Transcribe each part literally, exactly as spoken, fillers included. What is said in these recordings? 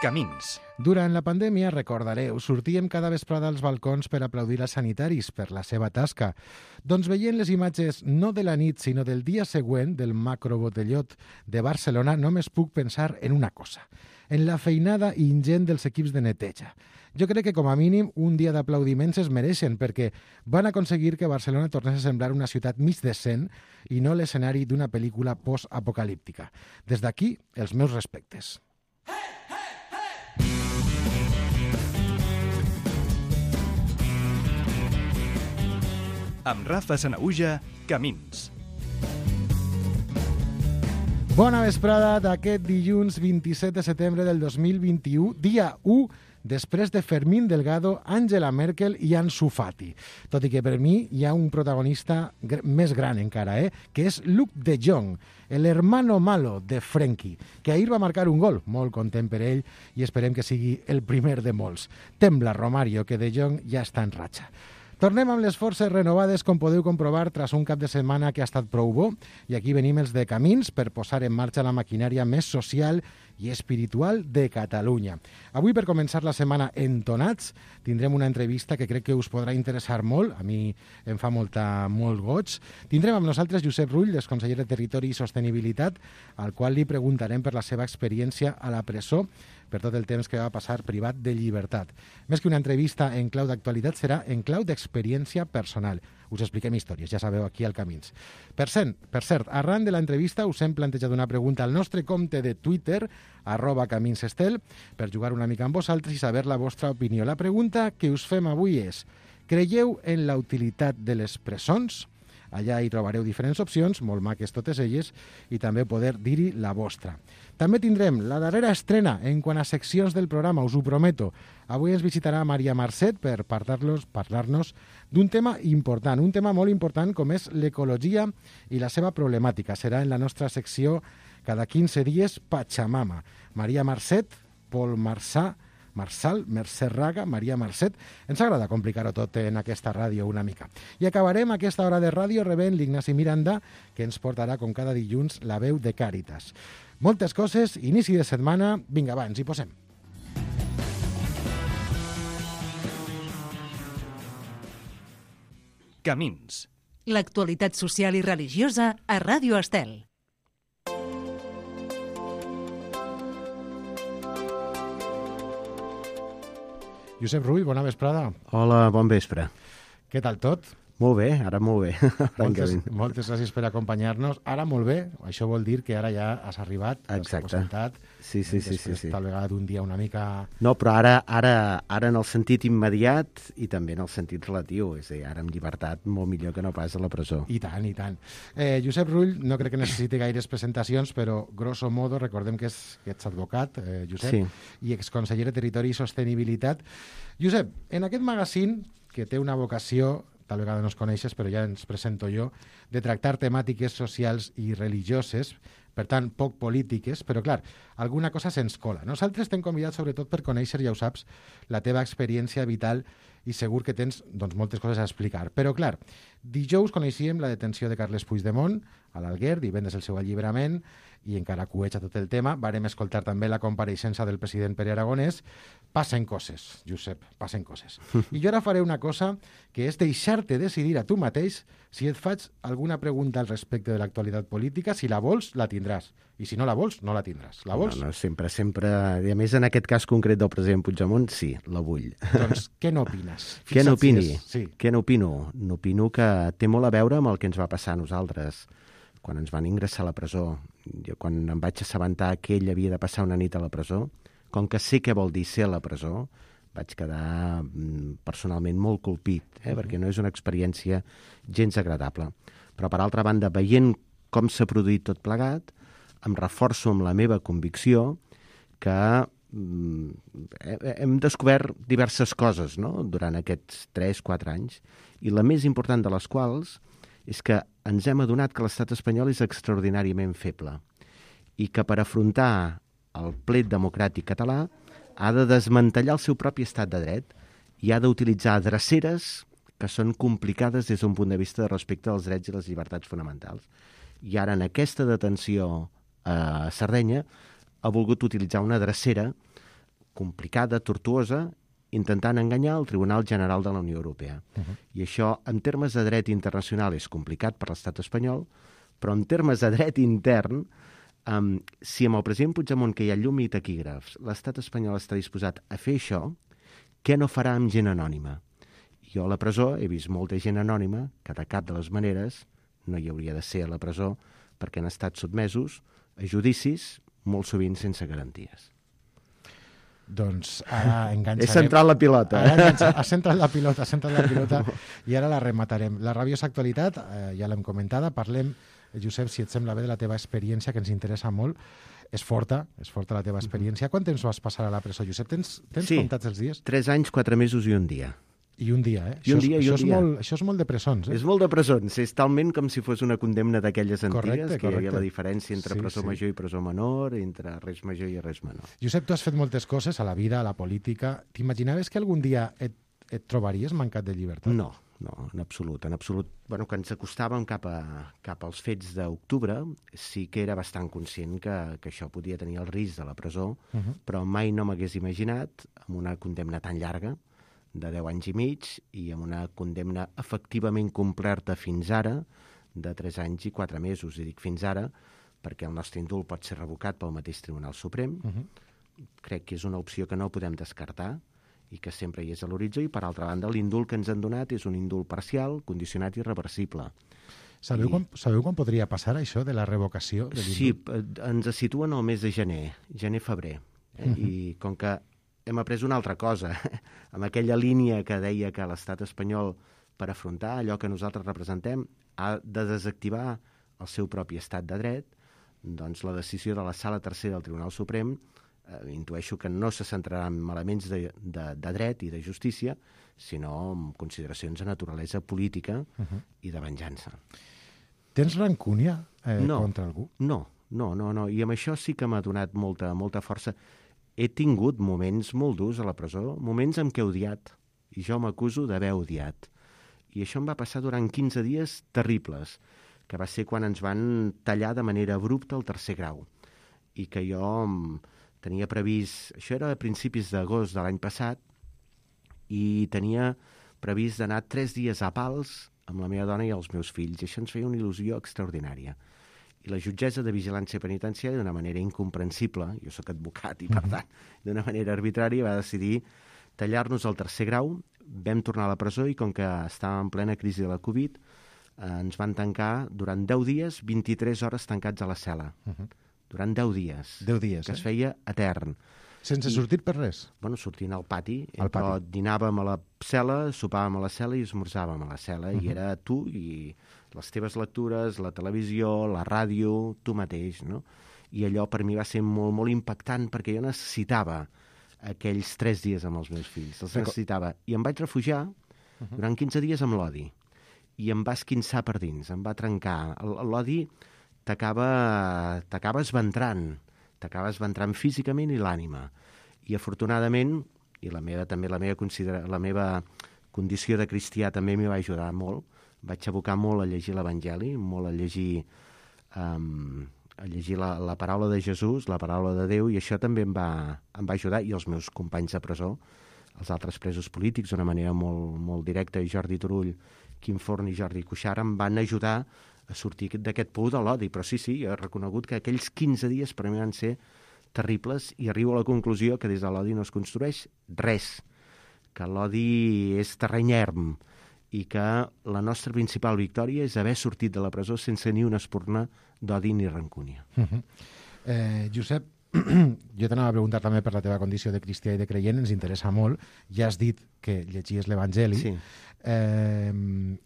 Camins. Durant la pandèmia, recordareu, sortíem cada vesprada als balcons per aplaudir als sanitaris per la seva tasca. Doncs veient les imatges no de la nit, sinó del dia següent del macrobotellot de Barcelona, només puc pensar en una cosa, en la feinada ingent dels equips de neteja. Jo crec que, com a mínim, un dia d'aplaudiments es mereixen, perquè van aconseguir que Barcelona tornés a semblar una ciutat mig decent i no l'escenari d'una pel·lícula post-apocalíptica. Des d'aquí, els meus respectes. Amb Rafa Sanaüja, Camins. Bona vesprada d'aquest dilluns vint-i-set de setembre del dos mil vint-i-u, dia u, després de Fermín Delgado, Angela Merkel i Ansu Fati. Tot i que per mi hi ha un protagonista gr- més gran encara, eh? que és Luuk de Jong, el hermano malo de Frenkie, que ahir va marcar un gol, molt content per ell, i esperem que sigui el primer de molts. Tembla Romario, que de Jong ja està en ratxa. Tornem amb les forces renovades, com podeu comprovar, tras un cap de setmana que ha estat prou bo, i aquí venim els de Camins per posar en marxa la maquinària més social i espiritual de Catalunya. Avui, per començar la setmana entonats, tindrem una entrevista que crec que us podrà interessar molt, a mi em fa molta, molt goig. Tindrem amb nosaltres Josep Rull, l'exconseller de Territori i Sostenibilitat, al qual li preguntarem per la seva experiència a la presó, per tot el temps que va passar privat de llibertat. Més que una entrevista en clau d'actualitat, serà en clau d'experiència personal. Us expliquem històries, ja sabeu, aquí al Camins. Per cert, per cert, arran de l'entrevista us hem plantejat una pregunta al nostre compte de Twitter, arroba caminsestel, per jugar una mica amb vosaltres i saber la vostra opinió. La pregunta que us fem avui és: creieu en la utilitat de les presons? Allà hi trobareu diferents opcions, molt maques totes elles, i també poder dir-hi la vostra. També tindrem la darrera estrena en quant a seccions del programa, us ho prometo. Avui ens visitarà Maria Marcet per parlar-nos parlar-nos d'un tema important, un tema molt important com és l'ecologia i la seva problemàtica. Serà en la nostra secció cada quinze dies Pachamama. Maria Marcet, Pol Marçà, Marçal, Mercè Raga, Maria Marcet. Ens agrada complicar-ho tot en aquesta ràdio una mica. I acabarem aquesta hora de ràdio rebent l'Ignasi Miranda, que ens portarà, com cada dilluns, la veu de Càritas. Moltes coses, inici de setmana. Vinga, va, ens hi posem. Camins. L'actualitat social i religiosa a Ràdio Estel. Josep Rull, bona vesprada. Hola, bon vespre. Què tal tot? Molt bé, ara molt bé. Moltes, moltes gràcies per acompanyar-nos. Ara molt bé, això vol dir que ara ja has arribat, exacte. Sentat, sí, sí, sí, sí, sí. Tal vegada d'un dia una mica... No, però ara, ara, ara en el sentit immediat i també en el sentit relatiu, és a dir, ara amb llibertat molt millor que no pas a la presó. I tant, i tant. Eh, Josep Rull, no crec que necessiti gaires presentacions, però grosso modo recordem que, és, que ets advocat, eh, Josep, sí. i exconseller de Territori i Sostenibilitat. Josep, en aquest magazín, que té una vocació, tal vegada no es coneixes, però ja ens presento jo, de tractar temàtiques socials i religioses, per tant, poc polítiques, però clar, alguna cosa se'ns cola. Nosaltres t'hem convidat sobretot per conèixer, ja ho saps, la teva experiència vital i segur que tens doncs, moltes coses a explicar. Però clar, dijous coneixíem la detenció de Carles Puigdemont a l'Alguer, divendres el seu alliberament, i encara cueja tot el tema. Varem escoltar també la compareixença del president Pere Aragonès. Passen coses, Josep, passen coses. I jo ara faré una cosa que és deixar-te decidir a tu mateix si et faig alguna pregunta al respecte de l'actualitat política. Si la vols, la tindràs. I si no la vols, no la tindràs. La vols? No, no, sempre, sempre... I a més, en aquest cas concret del president Puigdemont, sí, la vull. Doncs què n'opines? Què n'opini? Si és... sí. Què n'opino? N'opino que té molt a veure amb el que ens va passar a nosaltres quan ens van ingressar a la presó. Jo, quan em vaig assabentar que ell havia de passar una nit a la presó, com que sé què vol dir ser a la presó, vaig quedar personalment molt colpit, eh? Uh-huh. Perquè no és una experiència gens agradable. Però, per altra banda, veient com s'ha produït tot plegat, em reforço amb la meva convicció que mm, hem descobert diverses coses, no?, durant aquests tres quatre anys, i la més important de les quals és que ens hem adonat que l'estat espanyol és extraordinàriament feble i que per afrontar el plet democràtic català ha de desmantellar el seu propi estat de dret i ha d'utilitzar dreceres que són complicades des d'un punt de vista de respecte als drets i les llibertats fonamentals. I ara, en aquesta detenció a Sardenya, ha volgut utilitzar una drecera complicada, tortuosa, intentant enganyar el Tribunal General de la Unió Europea. Uh-huh. I això, en termes de dret internacional, és complicat per l'estat espanyol, però en termes de dret intern, um, si amb el president Puigdemont, que hi ha llum i taquígrafs, l'estat espanyol està disposat a fer això, què no farà amb gent anònima? Jo a la presó he vist molta gent anònima que de cap de les maneres no hi hauria de ser a la presó perquè han estat sotmesos a judicis molt sovint sense garanties. Doncs ara enganxarem... He centrat la pilota. Ara enganxa... Has centrat la pilota, has centrat la pilota i ara la rematarem. La rabiosa actualitat, eh, ja l'hem comentada, parlem, Josep, si et sembla bé, de la teva experiència, que ens interessa molt. És forta, és forta la teva experiència. Quant temps vas passar a la presó, Josep? Tens, tens sí, comptats els dies? Tres anys, quatre mesos i un dia. I un dia, eh? I un això dia, és, i un això, és dia. Molt, això és molt de presons, eh? És molt de presons. És talment com si fos una condemna d'aquelles antigues, correcte, que correcte. hi havia la diferència entre sí, presó sí. major i presó menor, entre res major i res menor. Josep, tu has fet moltes coses a la vida, a la política. T'imaginaves que algun dia et, et trobaries mancat de llibertat? No, no, en absolut. En absolut. Bueno, quan ens acostàvem cap, a, cap als fets d'octubre, sí que era bastant conscient que, que això podia tenir el risc de la presó, uh-huh. però mai no m'hagués imaginat, amb una condemna tan llarga, de deu anys i mig, i amb una condemna efectivament complerta fins ara, de tres anys i quatre mesos. I dic fins ara, perquè el nostre indult pot ser revocat pel mateix Tribunal Suprem. Uh-huh. Crec que és una opció que no podem descartar i que sempre hi és a l'horitzó, i per altra banda l'indult que ens han donat és un indult parcial, condicionat i irreversible. Sabeu, I... quan, sabeu quan podria passar això de la revocació de l'indult? Sí, ens situen al mes de gener, gener-febrer. Eh? Uh-huh. I com que hem après una altra cosa, amb aquella línia que deia que l'estat espanyol, per afrontar allò que nosaltres representem, ha de desactivar el seu propi estat de dret, doncs la decisió de la Sala Tercera del Tribunal Suprem eh, intueixo que no se centrarà en elements de, de, de dret i de justícia, sinó en consideracions de naturalesa política uh-huh. i de venjança. Tens rancúnia eh, no, contra algú? No, no, no, no, i amb això sí que m'ha donat molta, molta força. He tingut moments molt durs a la presó, moments en què he odiat, i jo m'acuso d'haver odiat. I això em va passar durant quinze dies terribles, que va ser quan ens van tallar de manera abrupta el tercer grau, i que jo tenia previst... Això era a principis d'agost de l'any passat, i tenia previst d'anar tres dies a Pals amb la meva dona i els meus fills, i això ens feia una il·lusió extraordinària. I la jutgessa de vigilància penitenciària, d'una manera incomprensible, jo sóc advocat i, per tant, d'una manera arbitrària, va decidir tallar-nos el tercer grau. Vam tornar a la presó i, com que estàvem en plena crisi de la Covid, eh, ens van tancar durant deu dies, vint-i-tres hores tancats a la cel·la. Uh-huh. Durant deu dies. deu dies, que eh? es feia etern. Sense I, sortir per res? Bueno, sortint al pati, al però pati. Dinàvem a la cel·la, sopàvem a la cel·la i esmorzàvem a la cel·la, uh-huh. i era tu i les teves lectures, la televisió, la ràdio, tu mateix, no? I allò per mi va ser molt, molt impactant, perquè jo necessitava aquells tres dies amb els meus fills, els necessitava. I em vaig refugiar uh-huh. durant quinze dies amb l'odi, i em va esquinçar per dins, em va trencar. L'odi t'acaba t'acaba esventrant, t'acaba esventrant físicament i l'ànima. I afortunadament, i la meva, també la meva, considera, la meva condició de cristià també m'hi va ajudar molt, vaig abocar molt a llegir l'Evangeli, molt a llegir, um, a llegir la, la paraula de Jesús, la paraula de Déu, i això també em va, em va ajudar, i els meus companys de presó, els altres presos polítics, d'una manera molt, molt directa, Jordi Turull, Quim Forn i Jordi Cuixart, em van ajudar a sortir d'aquest pou de l'odi. Però sí, sí, he reconegut que aquells quinze dies per mi van ser terribles, i arribo a la conclusió que des de l'odi no es construeix res, que l'odi és terreny erm, i que la nostra principal victòria és haver sortit de la presó sense ni una espurna d'odi ni rancúnia. Uh-huh. eh, Josep, jo t'anava a preguntar també per la teva condició de cristià i de creient, ens interessa molt. Ja has dit que llegies l'Evangeli. Sí. Eh,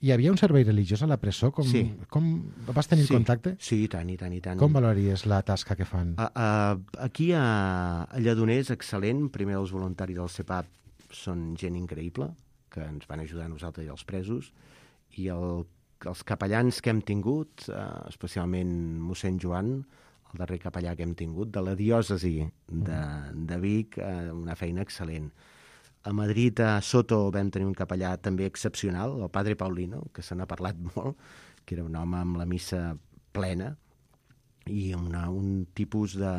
hi havia un servei religiós a la presó? Com, sí. com vas tenir sí. contacte? Sí, i tant, i tant, i tant. Com valories la tasca que fan? A, a, aquí a, a Lledoner és excel·lent. Primer, els voluntaris del CEPAP són gent increïble, que ens van ajudar a nosaltres i als presos, i el, els capellans que hem tingut, eh, especialment mossèn Joan, el darrer capellà que hem tingut, de la diòcesi de, de Vic, eh, una feina excel·lent. A Madrid, a Soto, vam tenir un capellà també excepcional, el padre Paulino, que se n'ha parlat molt, que era un home amb la missa plena, i una, un tipus de,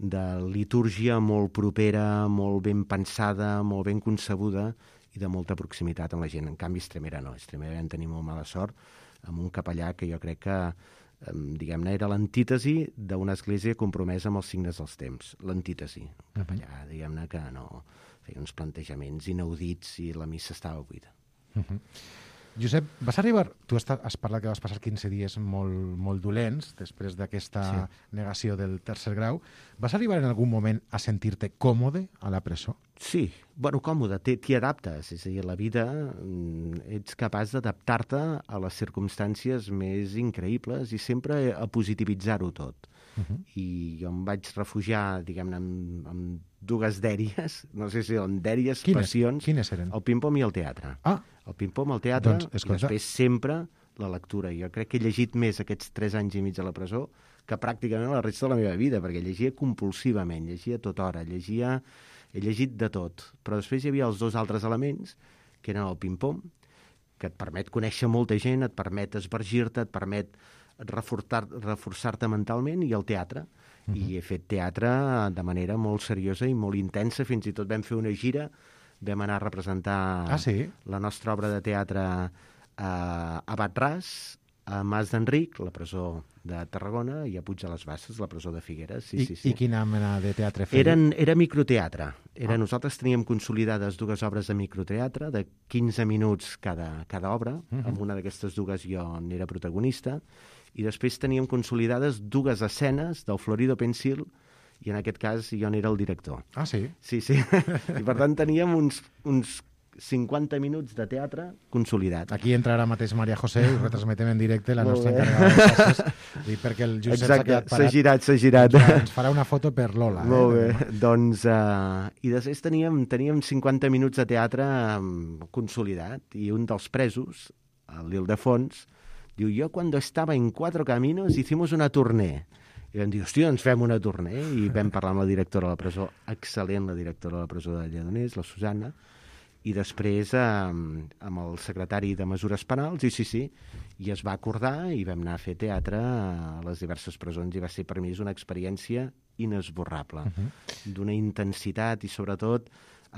de litúrgia molt propera, molt ben pensada, molt ben concebuda i de molta proximitat amb la gent. En canvi, Estremera no. Estremera vam tenir molt mala sort amb un capellà que jo crec que, diguem-ne, era l'antítesi d'una església compromesa amb els signes dels temps. L'antítesi. Un capellà, diguem-ne, que no feia uns plantejaments inaudits i la missa estava buida. Uh-huh. Josep, vas arribar... Tu has parlat que vas passar quinze dies molt, molt dolents després d'aquesta sí. negació del tercer grau. Vas arribar en algun moment a sentir-te còmode a la presó? Sí, bueno, còmode, t'hi adaptes. És a dir, la vida ets capaç d'adaptar-te a les circumstàncies més increïbles i sempre a positivitzar-ho tot. Uh-huh. I jo em vaig refugiar, diguem-ne, amb, amb dues dèries, no sé si eren dèries, quines? passions. Quines eren? El ping-pong i el teatre. Ah. El ping-pong, el teatre, doncs, i després sempre la lectura. Jo crec que he llegit més aquests tres anys i mig a la presó que pràcticament la resta de la meva vida, perquè llegia compulsivament, llegia a tota hora, llegia... he llegit de tot. Però després hi havia els dos altres elements, que eren el ping-pong, que et permet conèixer molta gent, et permet esvergir-te, et permet reforçar-te reforçar mentalment, i el teatre. Uh-huh. I he fet teatre de manera molt seriosa i molt intensa, fins i tot vam fer una gira, vam anar a representar ah, sí? la nostra obra de teatre a, a Batràs, a Mas d'Enric, la presó de Tarragona, i a Puig de les Basses, la presó de Figueres. Sí, I, sí, sí. I quina mena de teatre feia? Eren, era microteatre. Era, ah. Nosaltres teníem consolidades dues obres de microteatre, de quinze minuts cada, cada obra. Uh-huh. Amb una d'aquestes dues jo n'era protagonista. I després teníem consolidades dues escenes del Florido Pensil, i en aquest cas jo n'era el director. Ah, sí? Sí, sí. I per tant teníem uns, uns cinquanta minuts de teatre consolidat. Aquí entra ara mateix Maria José i retransmetem en directe la nostra encarregada de classes, i perquè el Josep s'ha quedat parat. S'ha girat, s'ha girat. Ens farà una foto per Lola. Molt eh? bé. Doncs, uh, i després teníem, teníem cinquanta minuts de teatre um, consolidat, i un dels presos, l'Ildefons, diu, jo cuando estaba en Cuatro Caminos hicimos una tournée. I vam dir, hòstia, ens fem una tournée, i vam parlar amb la directora de la presó, excel·lent la directora de la presó de Lledoners, la Susana, i després eh, amb el secretari de Mesures Penals, i sí, sí, i es va acordar i vam anar a fer teatre a les diverses presons, i va ser per mi una experiència inesborrable, uh-huh. d'una intensitat i sobretot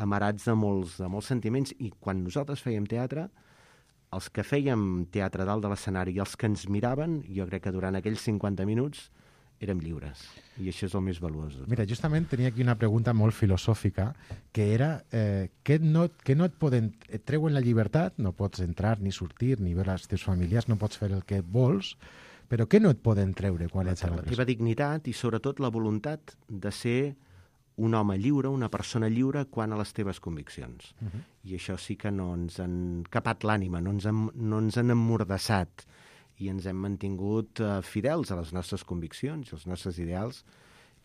amarats de molts, de molts sentiments. I quan nosaltres fèiem teatre, els que fèiem teatre dalt de l'escenari i els que ens miraven, jo crec que durant aquells cinquanta minuts érem lliures, i això és el més valuós. Mira, justament tenia aquí una pregunta molt filosòfica, que era eh, què, no, què no et poden... Et treuen la llibertat, no pots entrar ni sortir, ni veure els teus familiars, no pots fer el que vols, però què no et poden treure quan ets a la presó? La teva dignitat i sobretot la voluntat de ser un home lliure, una persona lliure quant a les teves conviccions. Uh-huh. I això sí que no ens han capat l'ànima, no ens han, no ens han emmordassat, i ens hem mantingut uh, fidels a les nostres conviccions, als nostres ideals,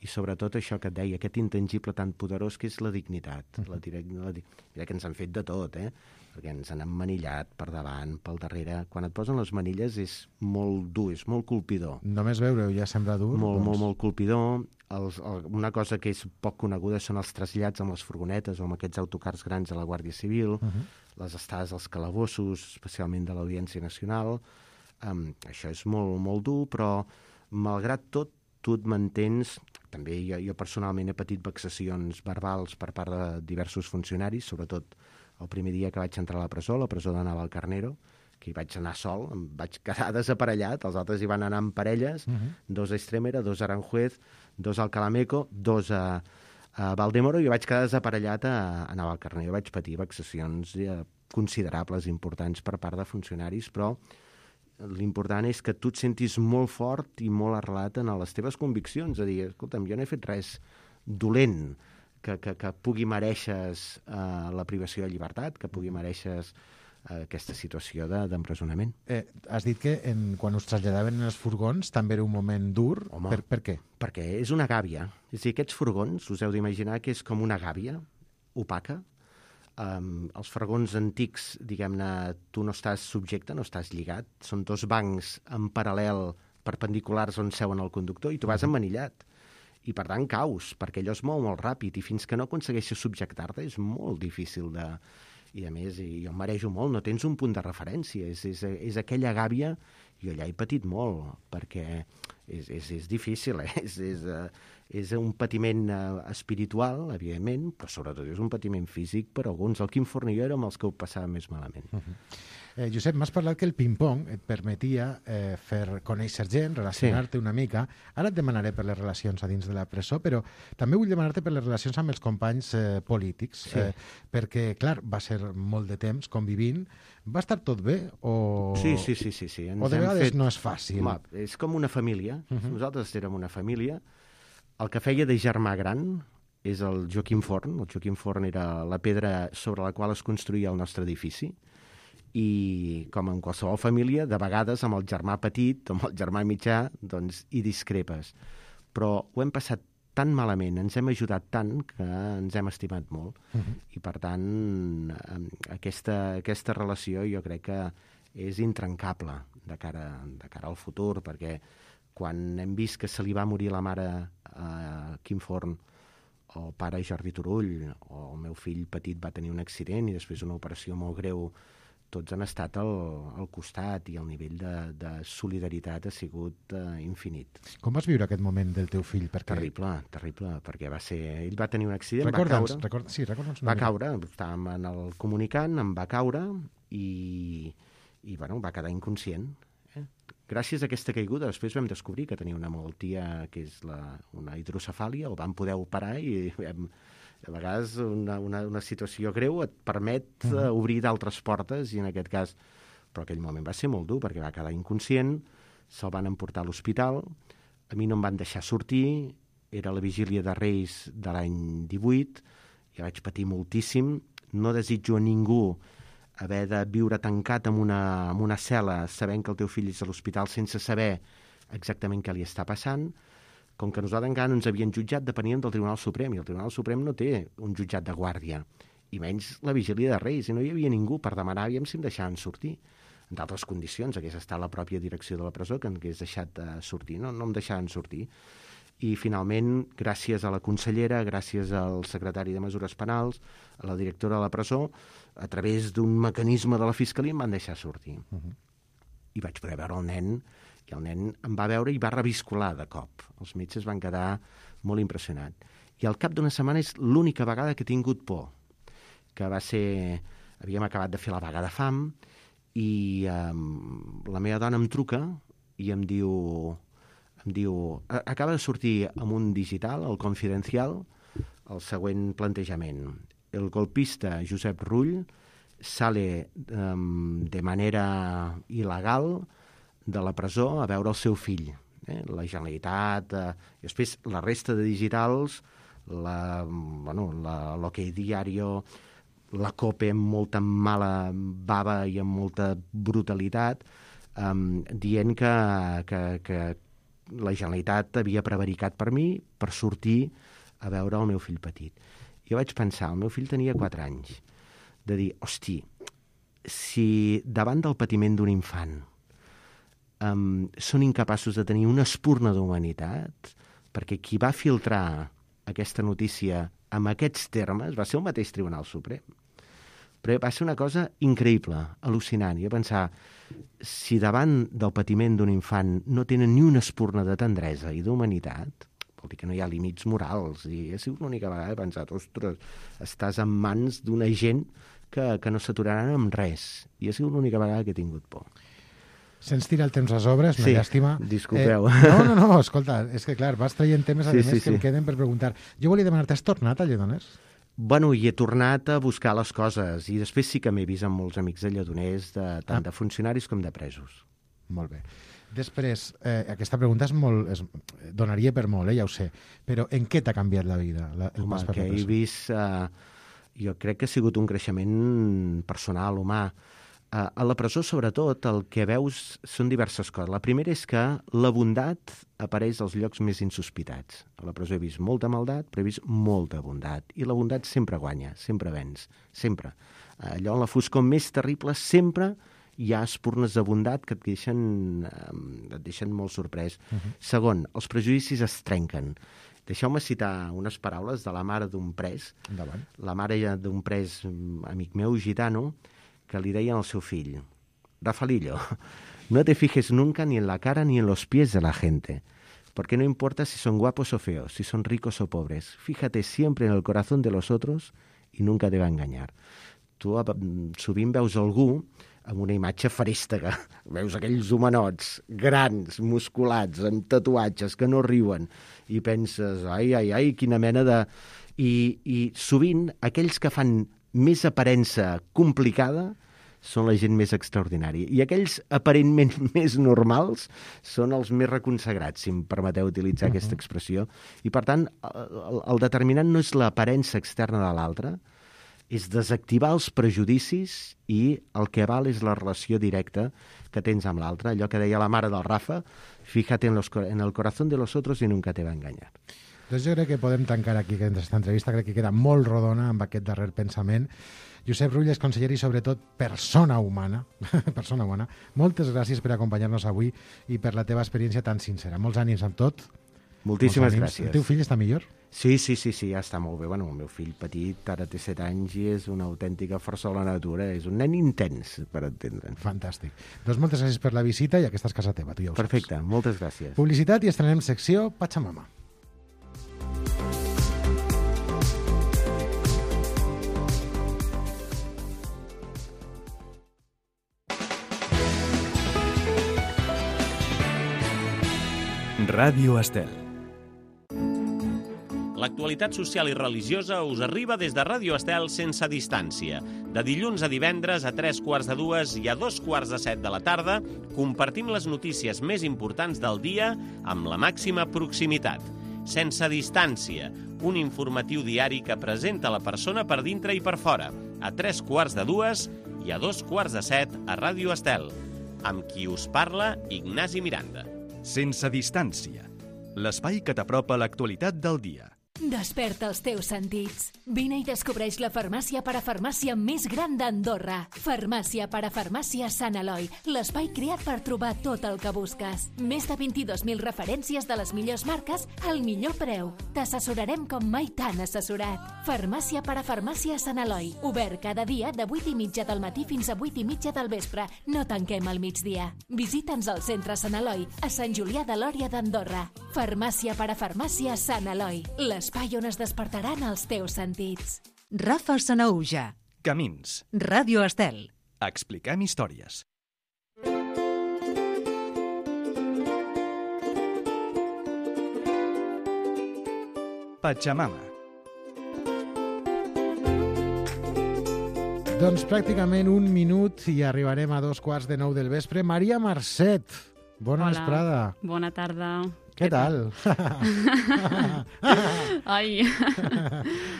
i sobretot això que et deia, aquest intangible tan poderós que és la dignitat. Uh-huh. la direc- la di- Mira que ens han fet de tot, eh? Perquè ens han emmanillat per davant, pel darrere. Quan et posen les manilles és molt dur, és molt colpidor. Només veure-ho ja sembla dur. Molt, doncs... molt, molt colpidor. Els, el, una cosa que és poc coneguda són els trasllats amb les furgonetes o amb aquests autocars grans de la Guàrdia Civil, uh-huh. les estades als calabossos, especialment de l'Audiència Nacional. Um, això és molt, molt dur, però malgrat tot, tu et mantens... També jo, jo personalment he patit vexacions verbals per part de diversos funcionaris, sobretot el primer dia que vaig entrar a la presó, la presó de Navalcarnero, que hi vaig anar sol, em vaig quedar desaparellat, els altres hi van anar en parelles, uh-huh. dos a Estremera, dos a Aranjuez, dos al Calameco, dos a, a Valdemoro, i jo vaig quedar desaparellat a, a Navalcarnero. Vaig patir vexacions eh, considerables, importants per part de funcionaris, però l'important és que tu et sentis molt fort i molt arrelat en les teves conviccions, a dir, escolta'm, jo no he fet res dolent que, que, que pugui mereixes uh, la privació de llibertat, que pugui mereixes uh, aquesta situació de, d'empresonament. Eh, has dit que en, quan us traslladaven en els furgons també era un moment dur. Home, per, per què? Perquè és una gàbia. És a dir, aquests furgons, us heu d'imaginar que és com una gàbia opaca. Um, els furgons antics, diguem-ne, tu no estàs subjecte, no estàs lligat, són dos bancs en paral·lel perpendiculars on seuen el conductor i tu vas emmanillat. I per tant caus, perquè allò es mou molt ràpid i fins que no aconsegueixes subjectar-te és molt difícil de... I a més, jo em marejo molt, no tens un punt de referència, és, és, és aquella gàbia Jo allà he patit molt, perquè és, és, és difícil, eh? és, és, uh, és un patiment uh, espiritual, evidentment, però sobretot és un patiment físic per alguns. El Quim Forn i jo érem els que ho passàvem més malament. Uh-huh. Eh, Josep, m'has parlat que el ping-pong et permetia eh, fer conèixer gent, relacionar-te sí. una mica. Ara et demanaré per les relacions a dins de la presó, però també vull demanar-te per les relacions amb els companys eh, polítics, sí. eh, perquè, clar, va ser molt de temps convivint. Va estar tot bé? O, sí, sí, sí. sí, sí. Ens o de vegades fet... no és fàcil? Home, és com una família. Uh-huh. Nosaltres érem una família. El que feia de germà gran és el Joaquim Forn. El Joaquim Forn era la pedra sobre la qual es construïa el nostre edifici. I, com en qualsevol família, de vegades amb el germà petit o amb el germà mitjà, doncs hi discrepes. Però ho hem passat tan malament, ens hem ajudat tant, que ens hem estimat molt. Uh-huh. I, per tant, aquesta, aquesta relació jo crec que és intrencable de cara, de cara al futur, perquè quan hem vist que se li va morir la mare a Quim Forn, o el pare Jordi Turull, o el meu fill petit va tenir un accident i després una operació molt greu, tots han estat al, al costat i el nivell de, de solidaritat ha sigut uh, infinit. Com vas viure aquest moment del teu fill? Perquè... Terrible, terrible, perquè va ser... Ell va tenir un accident, recorda'ns, va caure... Record... Sí, recorda'ns va caure, estàvem en el comunicant, em va caure i, i bueno, va quedar inconscient. Eh? Gràcies a aquesta caiguda, després vam descobrir que tenia una malaltia que és la, una hidrocefàlia, el vam poder operar i vam... A vegades una, una, una situació greu et permet uh, obrir d'altres portes i en aquest cas, però aquell moment va ser molt dur perquè va quedar inconscient, se'l van emportar a l'hospital, a mi no em van deixar sortir, era la vigília de Reis de l'any divuit, ja vaig patir moltíssim, no desitjo a ningú haver de viure tancat en una, en una cel·la sabent que el teu fill és a l'hospital sense saber exactament què li està passant. Com que nosaltres encara no ens havien jutjat, depeníem del Tribunal Suprem, i el Tribunal Suprem no té un jutjat de guàrdia, i menys la vigília de Reis, i no hi havia ningú per demanar aviam si em deixaven sortir. En d'altres condicions, hagués estat la pròpia direcció de la presó que em hagués deixat de sortir, no, no em deixaven sortir. I finalment, gràcies a la consellera, gràcies al secretari de Mesures Penals, a la directora de la presó, a través d'un mecanisme de la Fiscalia em van deixar sortir. Uh-huh. I vaig poder veure el nen, i el nen em va veure i va reviscolar de cop. Els metges van quedar molt impressionats. I al cap d'una setmana és l'única vegada que he tingut por, que va ser... Havíem acabat de fer la vaga de fam i um, la meva dona em truca i em diu... em diu acaba de sortir amb un digital, el Confidencial, el següent plantejament. El golpista Josep Rull sale um, de manera il·legal de la presó a veure el seu fill. Eh? La Generalitat, eh, i després la resta de digitals, la, bueno, la l'Ok Diario, la COPE amb molta mala bava i amb molta brutalitat, eh, dient que, que, que la Generalitat havia prevaricat per mi per sortir a veure el meu fill petit. Jo vaig pensar, el meu fill tenia quatre anys, de dir, hosti, si davant del patiment d'un infant Um, són incapaços de tenir una espurna d'humanitat, perquè qui va filtrar aquesta notícia amb aquests termes va ser el mateix Tribunal Suprem. Però va ser una cosa increïble, al·lucinant. I a pensar, si davant del patiment d'un infant no tenen ni una espurna de tendresa i d'humanitat, vol dir que no hi ha límits morals. I ha sigut l'única vegada que he pensat, ostres, estàs en mans d'una gent que, que no s'aturaran amb res. I ha sigut l'única vegada que he tingut por. Se'ns tira el temps a sobres, una sí, llàstima. disculpeu. Eh, no, no, no, escolta, és que clar, vas traient temes a sí, més sí, que sí. em queden per preguntar. Jo volia demanar-te, has tornat a Lledoners? Bueno, i he tornat a buscar les coses, i després sí que m'he vist amb molts amics de Lledoners, de, tant ah. de funcionaris com de presos. Molt bé. Després, eh, aquesta pregunta és molt, és, donaria per molt, eh, ja ho sé, però en què t'ha canviat la vida? La, el Home, pas per que la he vist... Eh, jo crec que ha sigut un creixement personal, humà. Uh, a la presó, sobretot, el que veus són diverses coses. La primera és que la bondat apareix als llocs més insospitats. A la presó he vist molta maldat, però he vist molta bondat. I la bondat sempre guanya, sempre venç, sempre. Uh, allò en la foscor més terrible sempre hi ha espurnes de bondat que et deixen, uh, et deixen molt sorprès. Uh-huh. Segon, els prejudicis es trenquen. Deixeu-me citar unes paraules de la mare d'un pres. Endavant. La mare d'un pres, amic meu, gitano, que li deien al seu fill, Rafaelillo, No te fijes nunca ni en la cara ni en los pies de la gente, porque no importa si son guapos o feos, si son ricos o pobres. Fíjate siempre en el corazón de los otros y nunca te va a engañar. Tu sovint veus algú amb una imatge farèstega. Veus aquells homenots grans, musculats, amb tatuatges, que no riuen, i penses, ai, ai, ai, quina mena de... I, i sovint aquells que fan més aparença complicada són la gent més extraordinària. I aquells aparentment més normals són els més reconsagrats, si em permeteu utilitzar uh-huh. aquesta expressió. I, per tant, el, el determinant no és l'aparença externa de l'altre, és desactivar els prejudicis i el que val és la relació directa que tens amb l'altre. Allò que deia la mare del Rafa, fíjate en, los, en el corazón de los otros y nunca te va a engañar. Doncs jo crec que podem tancar aquí aquesta entrevista, crec que queda molt rodona amb aquest darrer pensament. Josep Rull és conseller i sobretot persona humana, persona humana. Moltes gràcies per acompanyar-nos avui i per la teva experiència tan sincera. Molts ànims amb tot. Moltíssimes gràcies. El teu fill està millor? Sí, sí, sí, sí, ja està molt bé. Bueno, el meu fill petit ara té set anys i és una autèntica força de la natura. És un nen intens, per entendre'n. Fantàstic. Doncs moltes gràcies per la visita i aquesta és casa teva, tu ja ho saps. Perfecte, moltes gràcies. Publicitat i estrenem secció Pachamama. Ràdio Estel. L'actualitat social i religiosa us arriba des de Ràdio Estel sense distància. De dilluns a divendres a tres quarts de dues i a dos quarts de set de la tarda compartim les notícies més importants del dia amb la màxima proximitat. Sense distància, un informatiu diari que presenta la persona per dintre i per fora, a tres quarts de dues i a dos quarts de set a Ràdio Estel. Amb qui us parla, Ignasi Miranda. Sense distància. L'espai que t'apropa l'actualitat del dia. Desperta els teus sentits. Vine i descobreix la farmàcia parafarmàcia més gran d'Andorra. Farmàcia parafarmàcia Sant Eloi, l'espai creat per trobar tot el que busques. Més de vint-i-dos mil referències de les millors marques al millor preu. T'assessorarem com mai t'han assessorat. Farmàcia parafarmàcia Sant Eloi, obert cada dia de vuit i mitja del matí fins a vuit i mitja del vespre. No tanquem al migdia. Visita'ns al centre Sant Eloi, a Sant Julià de Lòria d'Andorra. Farmàcia parafarmàcia Sant Eloi, l'espai on es despertaran els teus sentits. Rafa Sanahuja. Camins. Ràdio Estel. Expliquem històries. Pachamama. Doncs pràcticament un minut i arribarem a dos quarts de nou del vespre. Maria Marcet, bona Hola. vesprada. Bona tarda. Què tal? Ai,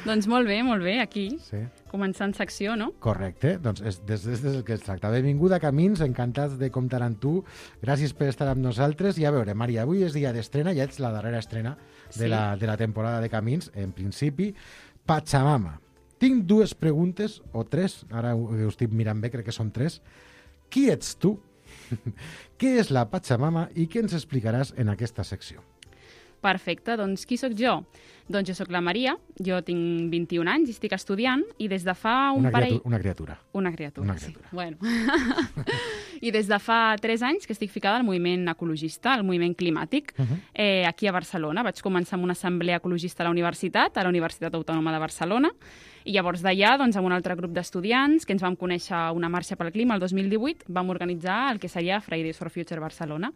doncs molt bé, molt bé, aquí, Sí, començant secció, no? correcte. Doncs és, des, des, des del que es tracta. Benvinguda a Camins, encantats de comptar amb tu. Gràcies per estar amb nosaltres. I a veure, Maria, avui és dia d'estrena, ja ets la darrera estrena de, Sí. la, de la temporada de Camins, en principi. Pachamama. Tinc dues preguntes, o tres, ara ho, ho estic mirant bé, crec que són tres. Qui ets tu? Què és la Pachamama i què ens explicaràs en aquesta secció? Perfecte, doncs qui sóc jo? Doncs jo sóc la Maria, jo tinc vint-i-un anys i estic estudiant i des de fa un Una, parell... criatura, una criatura. Una criatura, Una sí. criatura. Bueno. I des de fa tres anys que estic ficada al moviment ecologista, al moviment climàtic, Uh -huh. eh, aquí a Barcelona. Vaig començar amb una assemblea ecologista a la universitat, a la Universitat Autònoma de Barcelona, i llavors d'allà, doncs, amb un altre grup d'estudiants que ens vam conèixer a una marxa pel clima el dos mil divuit, vam organitzar el que seria Fridays for Future Barcelona.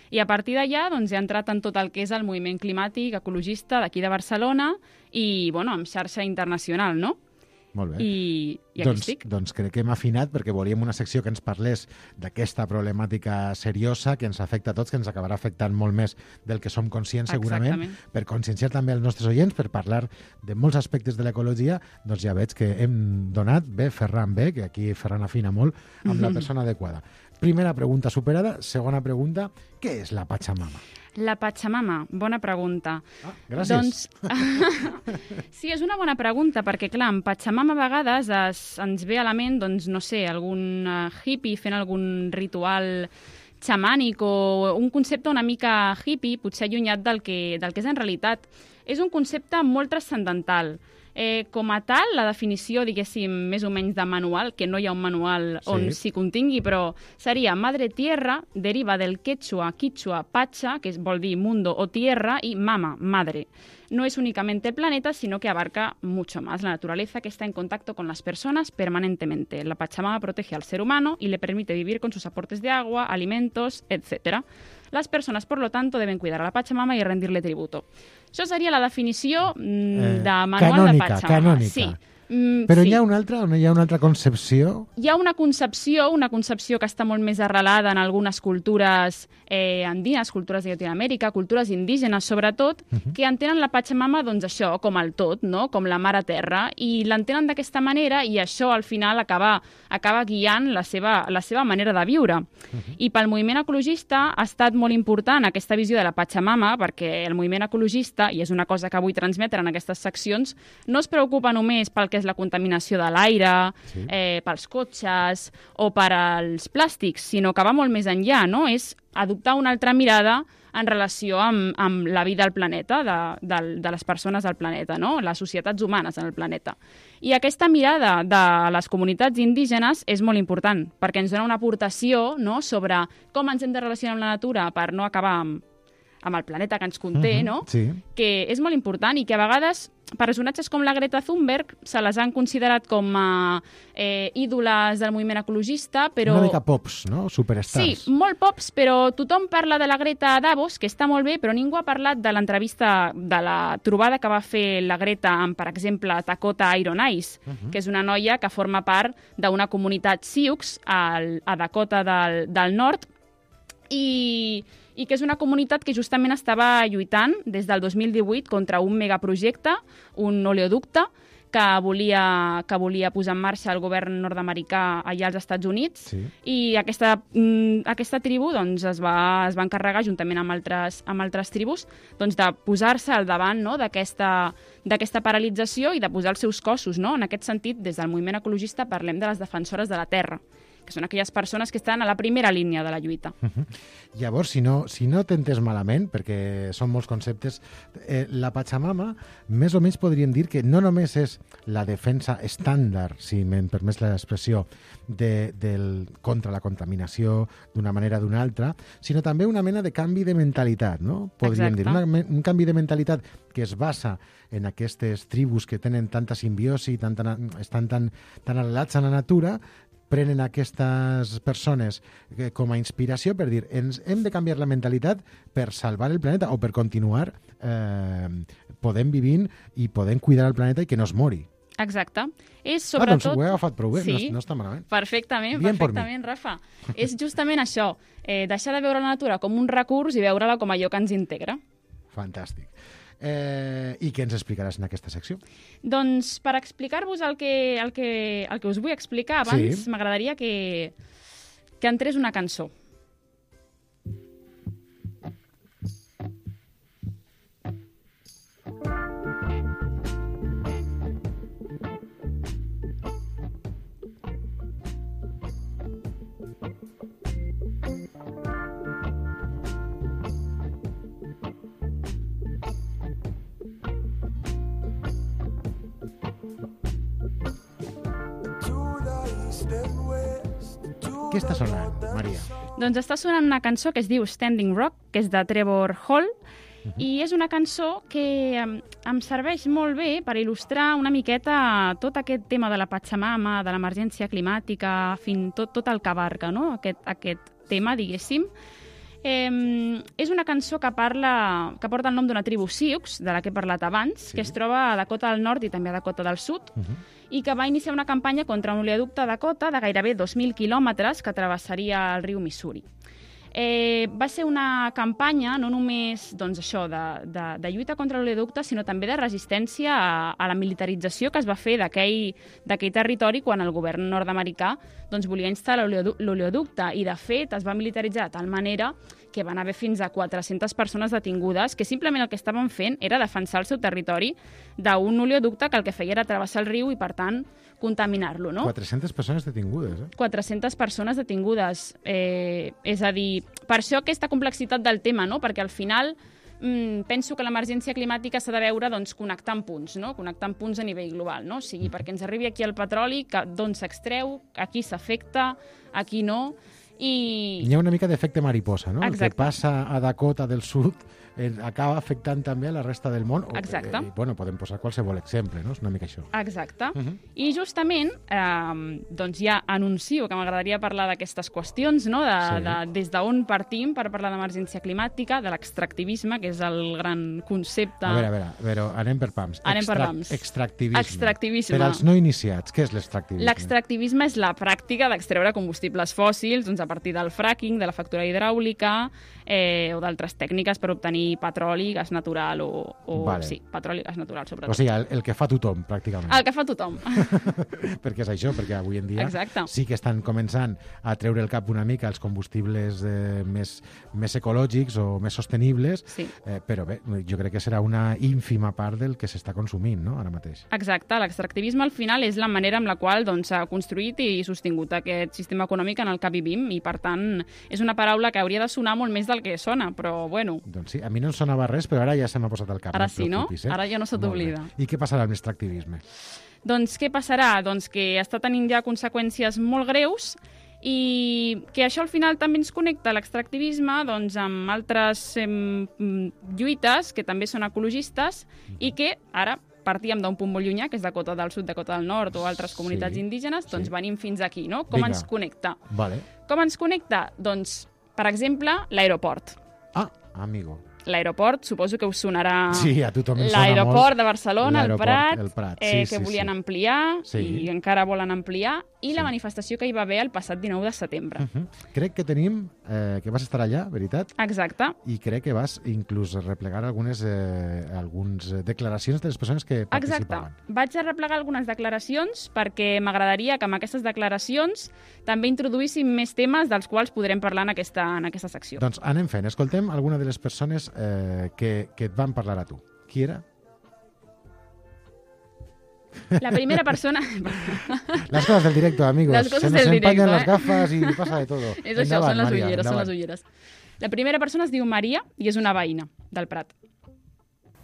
I a partir d'allà doncs, he entrat en tot el que és el moviment climàtic ecologista d'aquí de Barcelona i, bueno, amb xarxa internacional, no? Molt bé. I, i aquí doncs, estic. doncs crec que hem afinat perquè volíem una secció que ens parlés d'aquesta problemàtica seriosa que ens afecta a tots, que ens acabarà afectant molt més del que som conscients segurament, Exactament. per conscienciar també els nostres oients, per parlar de molts aspectes de l'ecologia. Doncs ja veig que hem donat bé, Ferran bé, que aquí Ferran afina molt, amb la persona adequada. Primera pregunta superada. Segona pregunta, què és la Pachamama? La Pachamama, bona pregunta. Ah, gràcies. Doncs, sí, és una bona pregunta, perquè, clar, en Pachamama a vegades es, ens ve a la ment, doncs, no sé, algun uh, hippie fent algun ritual xamànic o un concepte una mica hippie, potser allunyat del que, del que és en realitat. És un concepte molt transcendental Eh, com a tal, la definició, diguéssim, més o menys de manual, que no hi ha un manual on s'hi contingui, però seria madre tierra, deriva del quechua, quichua, pacha, que vol dir mundo o tierra, y mama, madre. No es únicamente el planeta, sino que abarca mucho más. La naturaleza que está en contacto con las personas permanentemente. La Pachamama protege al ser humano y le permite vivir con sus aportes de agua, alimentos, etcétera. Las personas, por lo tanto, deben cuidar a la Pachamama y rendirle tributo. Això seria la definició mm, Eh, de manual canònica, de Pachamama. canònica. Sí. Mm, Però sí. hi ha una altra, on hi ha una altra concepció? Hi ha una concepció, una concepció que està molt més arrelada en algunes cultures eh, andines, cultures de Llatinoamèrica, cultures indígenes, sobretot, uh -huh. que entenen la Pachamama, doncs això, com el tot, no? Com la mare terra, i l'entenen d'aquesta manera, i això, al final, acaba, acaba guiant la seva, la seva manera de viure. Uh -huh. I pel moviment ecologista ha estat molt important aquesta visió de la Pachamama, perquè el moviment ecologista, i és una cosa que vull transmetre en aquestes seccions, no es preocupa només pel que és la contaminació de l'aire, sí. eh, pels cotxes o per als plàstics, sinó que va molt més enllà, no? És adoptar una altra mirada en relació amb, amb la vida al planeta, de, de, de les persones del planeta, no? Les societats humanes en el planeta. I aquesta mirada de les comunitats indígenes és molt important, perquè ens dona una aportació, no?, sobre com ens hem de relacionar amb la natura per no acabar amb, amb el planeta que ens conté, uh-huh, no? Sí. Que és molt important i que a vegades personatges com la Greta Thunberg se les han considerat com a eh, ídoles del moviment ecologista, però... Una mica pops, no? Superstars. Sí, molt pops, però tothom parla de la Greta a Davos, que està molt bé, però ningú ha parlat de l'entrevista, de la trobada que va fer la Greta amb, per exemple, Dakota Iron Eyes, uh-huh. que és una noia que forma part d'una comunitat Sioux al, a Dakota del, del Nord, i... i que és una comunitat que justament estava lluitant des del dos mil divuit contra un megaprojecte, un oleoducte, que volia, que volia posar en marxa el govern nord-americà allà als Estats Units, sí. I aquesta, mm, aquesta tribu doncs, es, va, es va encarregar, juntament amb altres, amb altres tribus, doncs, de posar-se al davant, no?, d'aquesta d'aquesta paralització i de posar els seus cossos, no? En aquest sentit, des del moviment ecologista parlem de les defensores de la terra, que són aquelles persones que estan a la primera línia de la lluita. Uh-huh. Llavors, si no, si no t'entens malament, perquè són molts conceptes, eh, la Pachamama, més o menys podríem dir que no només és la defensa estàndard, si me'n permets l'expressió, de, del, contra la contaminació d'una manera o d'una altra, sinó també una mena de canvi de mentalitat, no? Podríem Exacte. dir, una, un canvi de mentalitat que es basa en aquestes tribus que tenen tanta simbiosi, tan, tan, estan tan, tan arrelats a la natura, prenen aquestes persones com a inspiració per dir ens hem de canviar la mentalitat per salvar el planeta o per continuar eh, podent vivint i podent cuidar el planeta i que no es mori. Exacte. És sobretot... Ah, doncs sobretot... ho he agafat prou bé, sí, no, no està malament. Perfectament, Bien perfectament, Rafa. És justament això, eh, deixar de veure la natura com un recurs i veure-la com allò que ens integra. Fantàstic. Eh, I què ens explicaràs en aquesta secció? Doncs per explicar-vos el que, el, que, el que us vull explicar abans, sí. M'agradaria que, que entrés una cançó. Què està sonant, Maria? Doncs està sonant una cançó que es diu Standing Rock, que és de Trevor Hall, uh-huh. I és una cançó que em, em serveix molt bé per il·lustrar una miqueta tot aquest tema de la Pachamama, de l'emergència climàtica, fin, tot, tot el que abarca, no? aquest, aquest tema, diguéssim. Eh, és una cançó que parla que porta el nom d'una tribu Sioux, de la que he parlat abans, sí. Que es troba a Dakota del Nord i també a Dakota del Sud, uh-huh. I que va iniciar una campanya contra un oleoducte a Dakota de gairebé dos mil quilòmetres que travessaria el riu Missouri. Eh, va ser una campanya no només doncs, això, de, de, de lluita contra l'oleoducte, sinó també de resistència a, a la militarització que es va fer d'aquell territori quan el govern nord-americà doncs, volia instal·lar l'oleoducte i, de fet, es va militaritzar de tal manera que van haver fins a quatre-centes persones detingudes que simplement el que estaven fent era defensar el seu territori d'un oleoducte que el que feia era travessar el riu i, per tant, contaminar-lo, no? quatre-centes persones detingudes, eh? quatre-centes persones detingudes. Eh, és a dir, per això aquesta complexitat del tema, no? Perquè al final mm, penso que l'emergència climàtica s'ha de veure doncs, connectant punts, no? Connectant punts a nivell global, no? O sigui, perquè ens arribi aquí el petroli, d'on s'extreu, a qui s'afecta, a qui no, i... Hi ha una mica d'efecte mariposa, no? Exacte. El que passa a Dakota del Sud eh, acaba afectant també a la resta del món. Exacte. Eh, bueno, podem posar qualsevol exemple, no? És una mica això. Exacte. Uh -huh. I justament, eh, doncs ja anuncio que m'agradaria parlar d'aquestes qüestions, no? de, Sí. de, des d'on partim per parlar d'emergència climàtica, de l'extractivisme, que és el gran concepte... A veure, a veure, però anem per pams. Anem per pams. Extractivisme. Extractivisme. Per als no iniciats, què és l'extractivisme? L'extractivisme és la pràctica d'extreure combustibles fòssils doncs, a partir del fracking, de la fractura hidràulica eh, o d'altres tècniques per obtenir petroli, gas natural o... o Vale. Sí, petroli i gas natural, sobretot. O sigui, el, el que fa tothom, pràcticament. El que fa tothom. Perquè és això, perquè avui en dia Exacte. sí que estan començant a treure el cap una mica els combustibles eh, més, més ecològics o més sostenibles, Sí. eh, però bé, jo crec que serà una ínfima part del que s'està consumint, no?, ara mateix. Exacte, l'extractivisme al final és la manera amb la qual doncs, s'ha construït i sostingut aquest sistema econòmic en el que vivim i, per tant, és una paraula que hauria de sonar molt més del que sona, però, bueno... Doncs sí, a mi no em sonava res, però ara ja se m'ha posat al cap. Ara et sí, no? preocupis, eh? Ara ja no se Molt t'oblida. bé. I què passarà amb l'extractivisme? Doncs què passarà? Doncs que està tenint ja conseqüències molt greus i que això al final també ens connecta l'extractivisme doncs, amb altres eh, lluites que també són ecologistes i que ara partíem d'un punt molt llunyà, que és Dakota del Sud, Dakota del Nord o altres comunitats Sí, indígenes, doncs sí. venim fins aquí, no? Com Vinga. ens connecta? Vale. Com ens connecta? Doncs, per exemple, l'aeroport. Ah, amigo. L'aeroport, suposo que us sonarà Sí, a tothom em sona l'aeroport molt de Barcelona, el l'aeroport, Prat, el Prat. eh, Sí, que sí, volien sí. ampliar Sí. i encara volen ampliar, i Sí. la manifestació que hi va haver el passat dinou de setembre. Uh -huh. Crec que tenim, eh, que vas estar allà, veritat? Exacte. I crec que vas inclús replegar algunes, eh, algunes declaracions de les persones que Exacte. participaven. Vaig a replegar algunes declaracions perquè m'agradaria que amb aquestes declaracions també introduïssin més temes dels quals podrem parlar en aquesta, en aquesta secció. Doncs anem fent. Escoltem alguna de les persones eh, que, que et van parlar a tu. Qui era? La primera persona... Las cosas del directo, amigos. Las cosas Se nos del empañan directo, las eh? gafas y pasa de todo. És això, Endavant, són les Maria, ulleres, són endavant. les ulleres. La primera persona es diu Maria i és una veïna del Prat.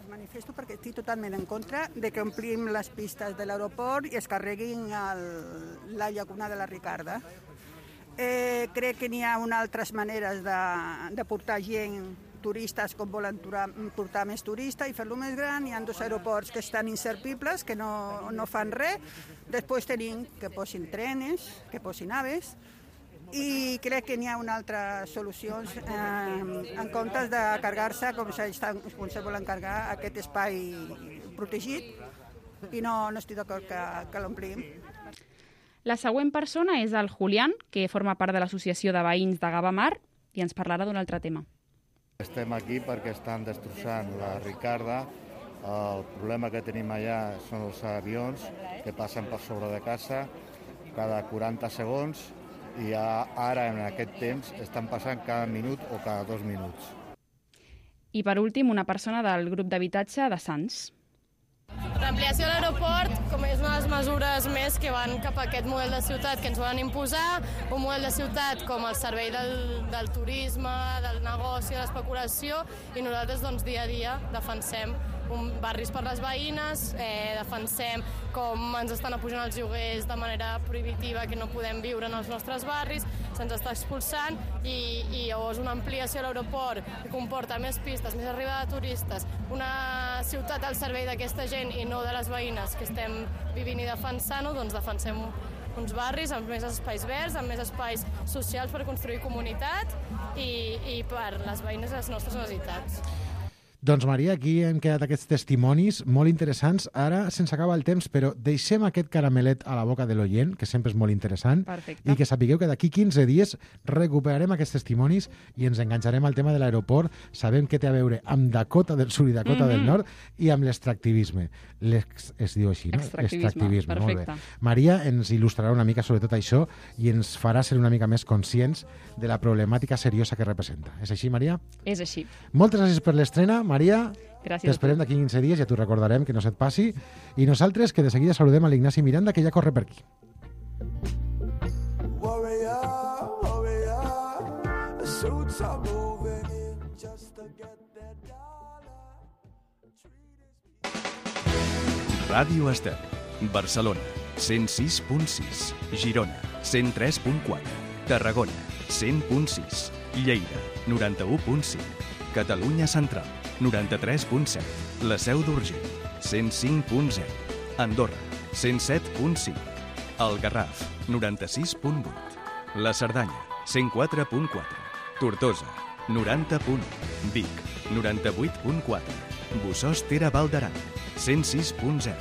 Manifesto perquè estic totalment en contra de que omplim les pistes de l'aeroport i es carreguin el, la llacuna de la Ricarda. Eh, crec que n'hi ha unes altres maneres de, de portar gent, turistes, com volen turar, portar més turistes i fer-lo més gran. Hi ha dos aeroports que estan inservibles, que no, no fan res. Després tenim que posin trenes, que posin aves, i crec que n'hi ha una altra solució eh, en comptes de carregar-se com se, com se volen carregar aquest espai protegit, i no, no estic d'acord que, que l'omplim. La següent persona és el Julián, que forma part de l'Associació de Veïns de Gavamar i ens parlarà d'un altre tema. Estem aquí perquè estan destrossant la Ricarda. El problema que tenim allà són els avions que passen per sobre de casa cada quaranta segons i ara, en aquest temps, estan passant cada minut o cada dos minuts. I per últim, una persona del grup d'habitatge de Sants. L'ampliació de l'aeroport com és una de les mesures més que van cap a aquest model de ciutat que ens volen imposar, un model de ciutat com el servei del, del turisme, del negoci, de l'especulació, i nosaltres doncs, dia a dia defensem un barris per les veïnes, eh, defensem com ens estan apujant els lloguers de manera prohibitiva, que no podem viure en els nostres barris, se'ns està expulsant, i, i llavors una ampliació a l'aeroport que comporta més pistes, més arribada de turistes, una ciutat al servei d'aquesta gent i no de les veïnes que estem vivint i defensant-ho, doncs defensem uns barris amb més espais verds, amb més espais socials per construir comunitat i, i per les veïnes i les nostres necessitats. Doncs, Maria, aquí hem quedat aquests testimonis molt interessants. Ara se'ns acaba el temps, però deixem aquest caramelet a la boca de l'oient, que sempre és molt interessant. Perfecte. I que sapigueu que d'aquí quinze dies recuperarem aquests testimonis i ens enganxarem al tema de l'aeroport. Sabem què té a veure amb Dakota del Sud i Dakota mm-hmm. del Nord i amb l'extractivisme. L'ex, es diu així, no? Extractivisme, Extractivisme, molt bé. perfecte. Maria ens il·lustrarà una mica sobre tot això i ens farà ser una mica més conscients de la problemàtica seriosa que representa. És així, Maria? És així. Moltes gràcies per l'estrena, Maria. Gràcies. T'esperem d'aquí quinze dies, ja t'ho recordarem, que no se't passi. I nosaltres, que de seguida saludem a l'Ignasi Miranda, que ja corre per aquí. Warrior, warrior, the suits are moving in just to get their dog. Ràdio Estel. Barcelona, cent sis punt sis. Girona, cent tres punt quatre. Tarragona, cent punt sis. Lleida, noranta-u punt cinc. Catalunya Central, noranta-tres punt set. La Seu d'Urgell, cent cinc punt zero. Andorra, cent set punt cinc. El Garraf, noranta-sis punt vuit. La Cerdanya, cent quatre punt quatre. Tortosa, noranta punt u. Vic, noranta-vuit punt quatre. Bossòst Tere Val d'Aran, cent sis punt zero.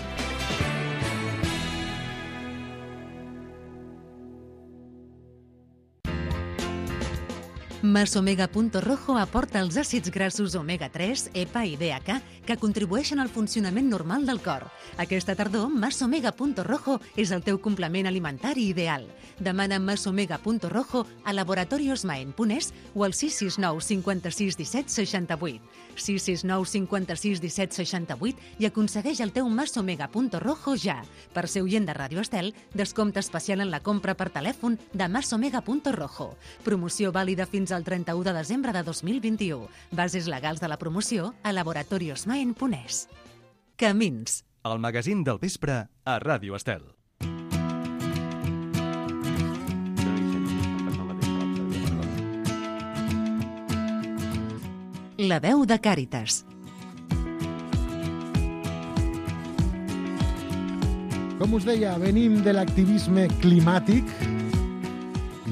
Masomega.rojo aporta els àcids grassos omega tres, E P A i D H A que contribueixen al funcionament normal del cor. Aquesta tardor, Masomega.rojo és el teu complement alimentari ideal. Demana Masomega.rojo a laboratorios maen punt es o al sis sis nou cinquanta-sis disset seixanta-vuit. sis sis nou cinquanta-sis disset seixanta-vuit i aconsegueix el teu Masomega.rojo ja. Per ser oient de Ràdio Estel, descompte especial en la compra per telèfon de Masomega.rojo. Promoció vàlida fins al trenta-u de desembre de dos mil vint-i-u. Bases legals de la promoció a laboratorios maen punt es. Camins. El magazín del vespre a Ràdio Estel. La veu de Càritas. Com us deia, venim de l'activisme climàtic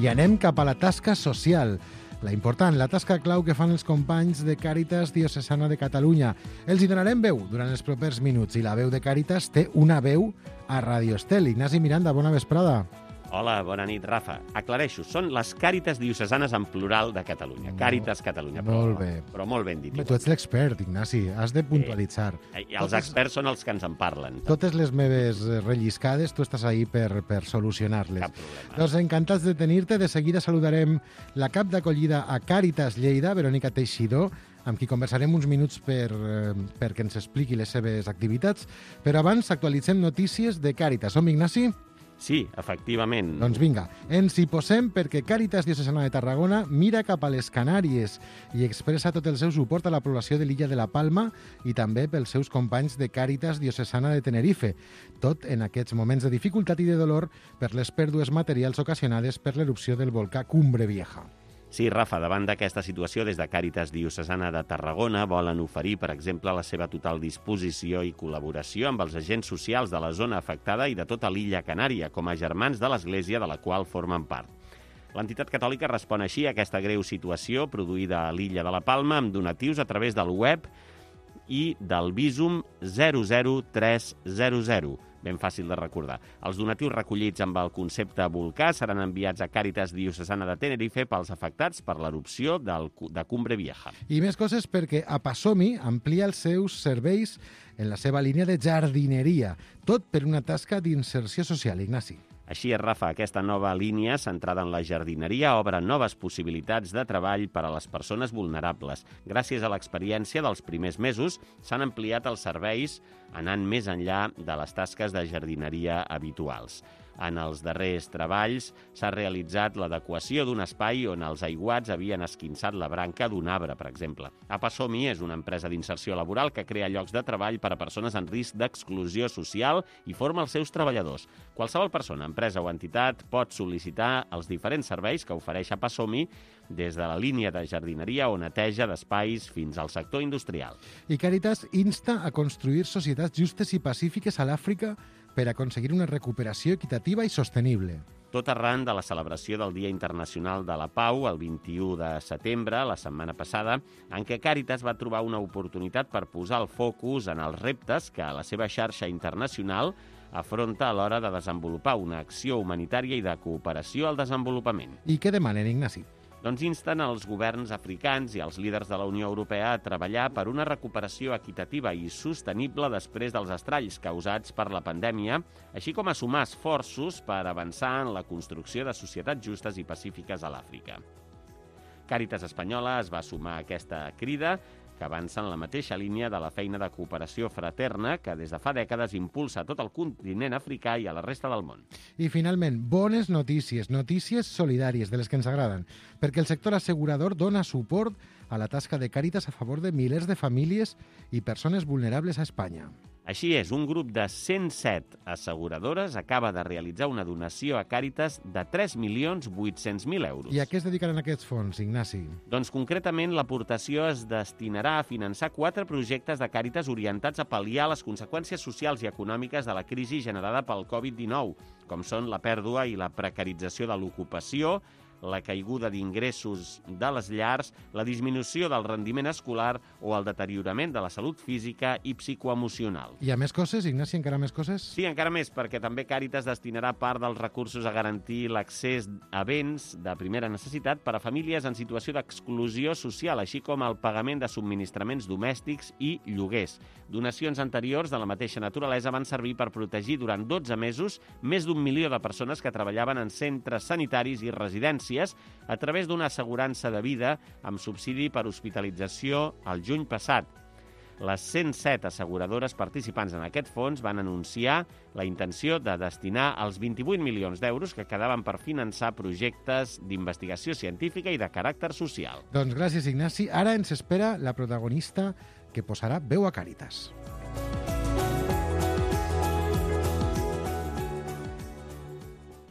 i anem cap a la tasca social. La important, la tasca clau que fan els companys de Càritas Diocesana de Catalunya. Els hi donarem veu durant els propers minuts i la veu de Càritas té una veu a Ràdio Estel. Ignasi Miranda, bona vesprada. Hola, bona nit, Rafa. Aclareixo, són les Càritas Diocesanes en plural de Catalunya. Càritas Catalunya. Molt bé. Però molt ben dit. Tu ets l'expert, Ignasi, has de puntualitzar. Eh, els experts són els que ens en parlen. Totes les meves relliscades, tu estàs ahí per, per solucionar-les. Cap problema. Doncs encantats de tenir-te. De seguida saludarem la cap d'acollida a Càritas Lleida, Verònica Teixidor, amb qui conversarem uns minuts per, eh, perquè ens expliqui les seves activitats. Però abans actualitzem notícies de Càritas. Som, Ignasi? Sí, efectivament. Doncs vinga, ens hi posem perquè Càritas Diocesana de Tarragona mira cap a les Canàries i expressa tot el seu suport a la població de l'illa de la Palma i també pels seus companys de Càritas Diocesana de Tenerife. Tot en aquests moments de dificultat i de dolor per les pèrdues materials ocasionades per l'erupció del volcà Cumbre Vieja. Sí, Rafa, davant d'aquesta situació, des de Càritas Diocesana de Tarragona volen oferir, per exemple, la seva total disposició i col·laboració amb els agents socials de la zona afectada i de tota l'illa Canària, com a germans de l'Església de la qual formen part. L'entitat catòlica respon així a aquesta greu situació produïda a l'illa de la Palma amb donatius a través del web i del Visum zero zero tres zero zero. Ben fàcil de recordar. Els donatius recollits amb el concepte volcà seran enviats a Càritas Diocesana de Tenerife pels afectats per l'erupció del, de Cumbre Vieja. I més coses perquè Apasomi amplia els seus serveis en la seva línia de jardineria, tot per una tasca d'inserció social, Ignasi. Així és, Rafa, aquesta nova línia centrada en la jardineria obre noves possibilitats de treball per a les persones vulnerables. Gràcies a l'experiència dels primers mesos, s'han ampliat els serveis anant més enllà de les tasques de jardineria habituals. En els darrers treballs s'ha realitzat l'adequació d'un espai on els aiguats havien esquinçat la branca d'un arbre, per exemple. Apasomi és una empresa d'inserció laboral que crea llocs de treball per a persones en risc d'exclusió social i forma els seus treballadors. Qualsevol persona, empresa o entitat pot sol·licitar els diferents serveis que ofereix Apasomi, des de la línia de jardineria o neteja d'espais fins al sector industrial. I Càritas insta a construir societats justes i pacífiques a l'Àfrica per aconseguir una recuperació equitativa i sostenible. Tot arran de la celebració del Dia Internacional de la Pau, el vint-i-u de setembre, la setmana passada, en què Càritas va trobar una oportunitat per posar el focus en els reptes que la seva xarxa internacional afronta a l'hora de desenvolupar una acció humanitària i de cooperació al desenvolupament. I què demanen, Ignasi? Doncs insten els governs africans i els líders de la Unió Europea a treballar per una recuperació equitativa i sostenible després dels estralls causats per la pandèmia, així com a sumar esforços per avançar en la construcció de societats justes i pacífiques a l'Àfrica. Càritas Espanyola es va sumar a aquesta crida, que avança en la mateixa línia de la feina de cooperació fraterna que des de fa dècades impulsa a tot el continent africà i a la resta del món. I finalment, bones notícies, notícies solidàries, de les que ens agraden, perquè el sector assegurador dona suport a la tasca de Càritas a favor de milers de famílies i persones vulnerables a Espanya. Així és, un grup de cent set asseguradores acaba de realitzar una donació a Càritas de tres milions vuit-cents mil euros. I a què es dedicaran aquests fons, Ignasi? Doncs concretament l'aportació es destinarà a finançar quatre projectes de Càritas orientats a pal·liar les conseqüències socials i econòmiques de la crisi generada pel covid dinou, com són la pèrdua i la precarització de l'ocupació, la caiguda d'ingressos de les llars, la disminució del rendiment escolar o el deteriorament de la salut física i psicoemocional. Hi ha més coses, Ignasi, encara més coses? Sí, encara més, perquè també Càritas destinarà part dels recursos a garantir l'accés a béns de primera necessitat per a famílies en situació d'exclusió social, així com el pagament de subministraments domèstics i lloguers. Donacions anteriors de la mateixa naturalesa van servir per protegir durant dotze mesos més d'un milió de persones que treballaven en centres sanitaris i residències a través d'una assegurança de vida amb subsidi per hospitalització el juny passat. Les cent set asseguradores participants en aquest fons van anunciar la intenció de destinar els vint-i-vuit milions d'euros que quedaven per finançar projectes d'investigació científica i de caràcter social. Doncs gràcies, Ignasi. Ara ens espera la protagonista que posarà veu a Càritas.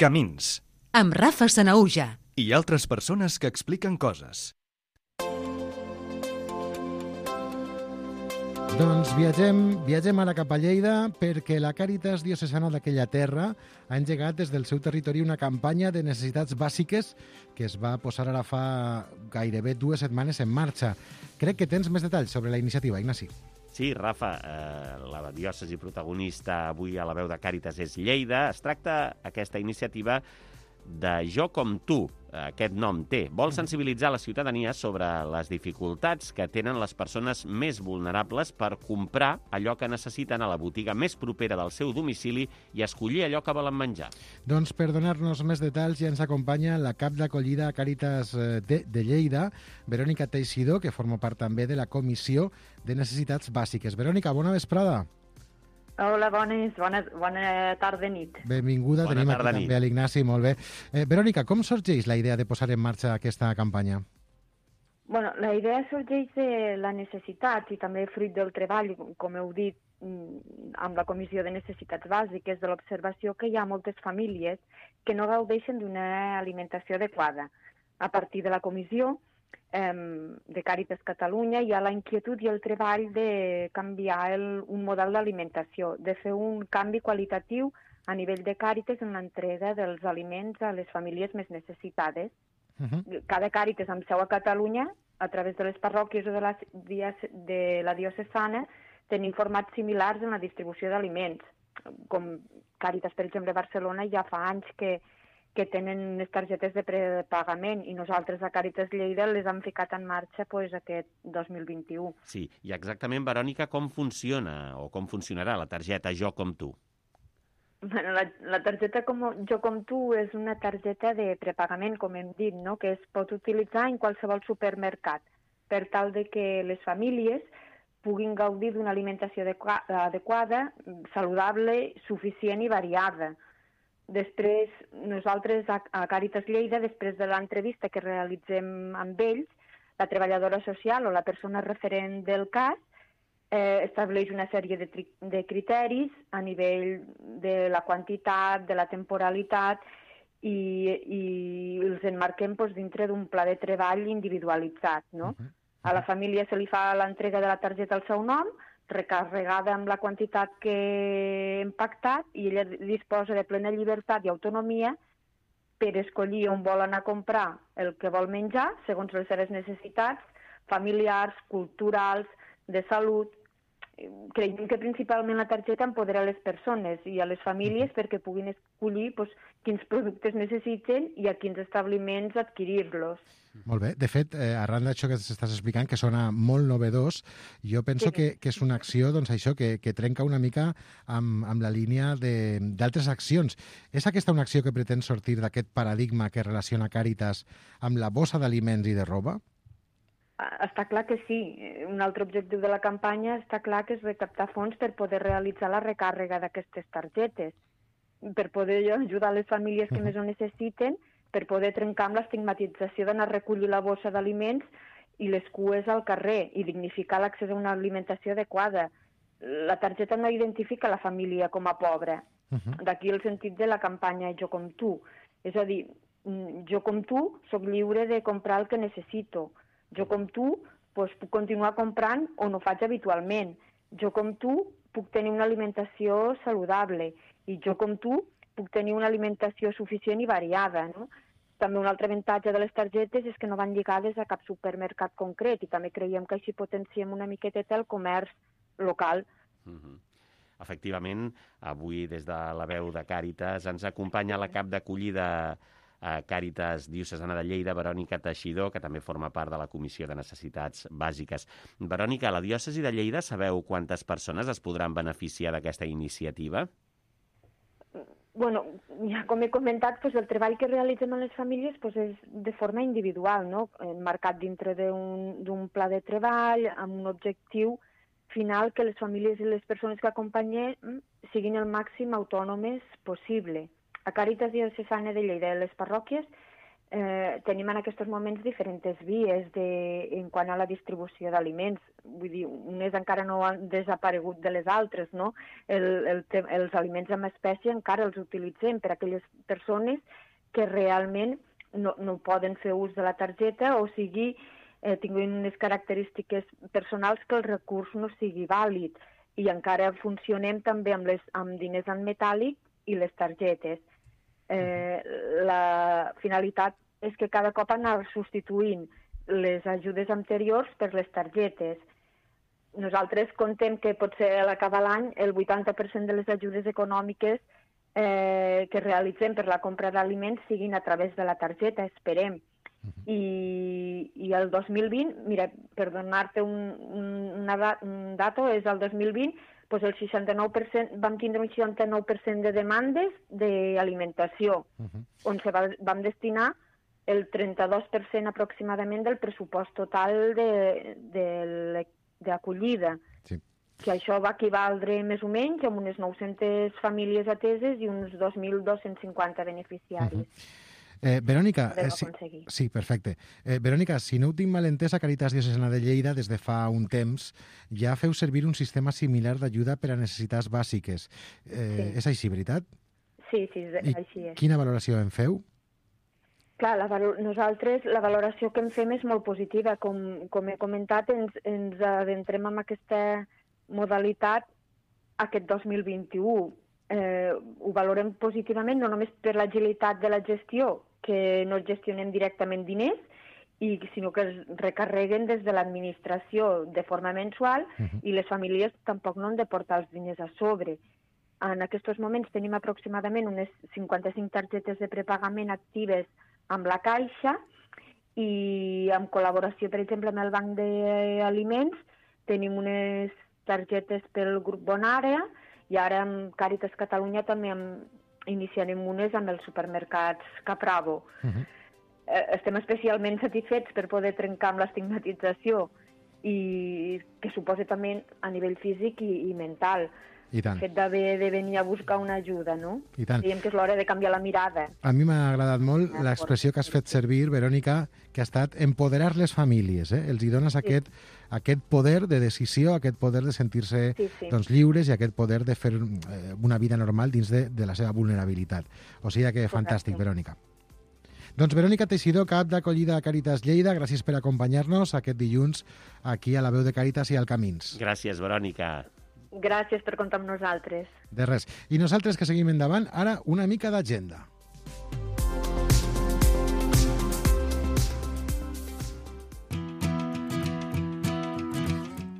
Camins. Amb Rafa Sanaüja. I altres persones que expliquen coses. Doncs viatgem, viatgem ara cap a Lleida perquè la Càritas diocesana d'aquella terra ha engegat des del seu territori una campanya de necessitats bàsiques que es va posar ara fa gairebé dues setmanes en marxa. Crec que tens més detalls sobre la iniciativa, Ignasi. Sí, Rafa, eh, la diòcesi protagonista avui a la veu de Càritas és Lleida. Es tracta aquesta iniciativa de Jo com tu, aquest nom té. Vol sensibilitzar la ciutadania sobre les dificultats que tenen les persones més vulnerables per comprar allò que necessiten a la botiga més propera del seu domicili i escollir allò que volen menjar. Doncs per donar-nos més detalls ja ens acompanya la cap d'acollida a Càritas de, de Lleida, Verònica Teixidor, que forma part també de la Comissió de Necessitats Bàsiques. Verònica, bona vesprada. Hola, bones, bona, bona tarda nit. Benvinguda, bona tenim tarda aquí nit. també a l'Ignasi, molt bé. Eh, Verònica, com sorgeix la idea de posar en marxa aquesta campanya? Bueno, la idea sorgeix de la necessitat i també fruit del treball, com heu dit, amb la Comissió de Necessitats Bàsiques, de l'observació que hi ha moltes famílies que no gaudeixen d'una alimentació adequada. A partir de la comissió de Càritas Catalunya hi ha la inquietud i el treball de canviar el, un model d'alimentació, de fer un canvi qualitatiu a nivell de Càritas en l'entrega dels aliments a les famílies més necessitades. Uh-huh. Cada Càritas amb seu a Catalunya, a través de les parròquies o de la, de la diocesana, tenim formats similars en la distribució d'aliments. Com Càritas, per exemple, a Barcelona ja fa anys que que tenen les targetes de prepagament i nosaltres a Càritas Lleida les hem ficat en marxa pues, aquest dos mil vint-i-u. Sí, i exactament, Verònica, com funciona o com funcionarà la targeta Jo com tu? Bueno, la, la targeta com, Jo com tu és una targeta de prepagament, com hem dit, no? Que es pot utilitzar en qualsevol supermercat per tal de que les famílies puguin gaudir d'una alimentació adequada, saludable, suficient i variada. Després, nosaltres a Càritas Lleida, després de l'entrevista que realitzem amb ells, la treballadora social o la persona referent del cas eh, estableix una sèrie de, de criteris a nivell de la quantitat, de la temporalitat i, i els emmarquem doncs, dintre d'un pla de treball individualitzat. No? Uh-huh. A la família se li fa l'entrega de la targeta al seu nom, recarregada amb la quantitat que hem pactat i ella disposa de plena llibertat i autonomia per escollir on vol anar a comprar el que vol menjar segons les seves necessitats familiars, culturals, de salut. Creiem que principalment la targeta empodera les persones i a les famílies perquè puguin escollir doncs, quins productes necessiten i a quins establiments adquirir-los. Molt bé. De fet, eh, arran d'això que s'estàs explicant, que sona molt novedós, jo penso sí. que, que és una acció doncs, això que, que trenca una mica amb, amb la línia d'altres accions. És aquesta una acció que pretén sortir d'aquest paradigma que relaciona Càritas amb la bossa d'aliments i de roba? Està clar que sí. Un altre objectiu de la campanya està clar que és recaptar fons per poder realitzar la recàrrega d'aquestes targetes, per poder ajudar les famílies que uh-huh. més ho necessiten, per poder trencar amb l'estigmatització d'anar a recollir la bossa d'aliments i les cues al carrer i dignificar l'accés a una alimentació adequada. la targeta no identifica la família com a pobra. Uh-huh. D'aquí el sentit de la campanya Jo com tu. És a dir, jo com tu sóc lliure de comprar el que necessito. Jo com tu doncs, puc continuar comprant o no faig habitualment. Jo com tu puc tenir una alimentació saludable i jo com tu puc tenir una alimentació suficient i variada, no? També un altre avantatge de les targetes és que no van lligades a cap supermercat concret i també creiem que així potenciem una miqueteta el comerç local. Mm-hmm. Efectivament, avui des de la veu de Càritas ens acompanya la cap d'acollida a Càritas Diocesana de Lleida, Verònica Teixidor, que també forma part de la Comissió de Necessitats Bàsiques. Verònica, a la diòcesi de Lleida sabeu quantes persones es podran beneficiar d'aquesta iniciativa? Bueno, ja com he comentat, doncs el treball que realitzem en les famílies doncs és de forma individual, no? Marcat dintre d'un pla de treball, amb un objectiu final que les famílies i les persones que acompanyem siguin el màxim autònomes possible. A Càritas Diocesana de Lleida, les parròquies, eh, tenim en aquests moments diferents vies de, en quant a la distribució d'aliments. Vull dir, unes encara no han desaparegut de les altres, no? El, el, els aliments en espècie encara els utilitzem per a aquelles persones que realment no, no poden fer ús de la targeta o sigui, eh, tinguin unes característiques personals que el recurs no sigui vàlid. I encara funcionem també amb, les, amb diners en metàl·lic i les targetes. Eh, la finalitat és que cada cop anar substituint les ajudes anteriors per les targetes. Nosaltres contem que potser a l'acabar l'any el vuitanta per cent de les ajudes econòmiques eh, que realitzem per la compra d'aliments siguin a través de la targeta, esperem. I, i el dos mil vint, mira, per donar-te un, una dat, un dato, és el dos mil vint, doncs el seixanta-nou per cent, vam tindre un seixanta-nou per cent de demandes d'alimentació, uh-huh. on se va, vam destinar el trenta-dos per cent aproximadament del pressupost total d'acollida. Sí. Que això va equivaldre més o menys a unes nou-centes famílies ateses i uns dos mil dos-cents cinquanta beneficiaris. Uh-huh. Eh, Verònica, eh, sí, sí, perfecte. Eh, Verònica, si no ho tinc mal entès, a Càritas Diocesana de Lleida, des de fa un temps, ja feu servir un sistema similar d'ajuda per a necessitats bàsiques. Eh, sí. És així, veritat? Sí, sí, I així és. Quina valoració en feu? Clar, la valo- nosaltres la valoració que en fem és molt positiva. Com, com he comentat, ens, ens adentrem en aquesta modalitat aquest dos mil vint-i-u. Eh, ho valorem positivament, no només per l'agilitat de la gestió, que no gestionem directament diners, i, sinó que es recarreguen des de l'administració de forma mensual uh-huh. i les famílies tampoc no han de portar els diners a sobre. En aquests moments tenim aproximadament unes cinquanta-cinc targetes de prepagament actives amb la Caixa i en col·laboració, per exemple, amb el Banc d'Aliments tenim unes targetes pel grup Bonàrea i ara amb Càritas Catalunya també amb, iniciarem unes amb els supermercats Capravo. Uh-huh. eh, estem especialment satisfets per poder trencar amb l'estigmatització i que suposa també a nivell físic i, i mental. I tant. El fet d'haver de venir a buscar una ajuda, no? I tant. Diem que és l'hora de canviar la mirada. A mi m'ha agradat molt l'expressió que has fet servir, Verònica, que ha estat empoderar les famílies. Eh? Els hi dones sí. aquest, aquest poder de decisió, aquest poder de sentir-se sí, sí. doncs, lliures i aquest poder de fer eh, una vida normal dins de, de la seva vulnerabilitat. O sigui que fantàstic, Verònica. Doncs Verònica Teixidor, cap d'acollida a Càritas Lleida, gràcies per acompanyar-nos aquest dilluns aquí a la veu de Càritas i al Camins. Gràcies, Verònica. Gràcies per comptar amb nosaltres. De res. I nosaltres que seguim endavant, ara una mica d'agenda.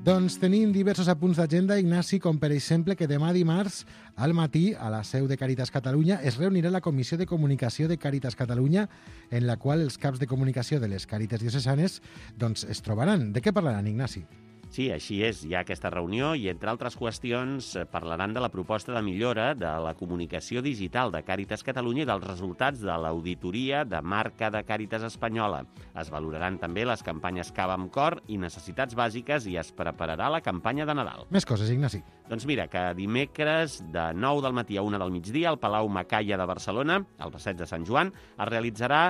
Doncs tenim diversos apunts d'agenda, Ignasi, com per exemple que demà dimarts al matí a la seu de Càritas Catalunya es reunirà la Comissió de Comunicació de Càritas Catalunya, en la qual els caps de comunicació de les Càritas diocesanes doncs, es trobaran. De què parlaran, Ignasi? Sí, així és. Hi ha aquesta reunió i, entre altres qüestions, parlaran de la proposta de millora de la comunicació digital de Càritas Catalunya i dels resultats de l'auditoria de marca de Càritas Espanyola. Es valoraran també les campanyes Cava amb Cor i Necessitats Bàsiques i es prepararà la campanya de Nadal. Més coses, Ignasi. Doncs mira, que dimecres de nou del matí a una del migdia al Palau Macaya de Barcelona, al passeig de Sant Joan, es realitzarà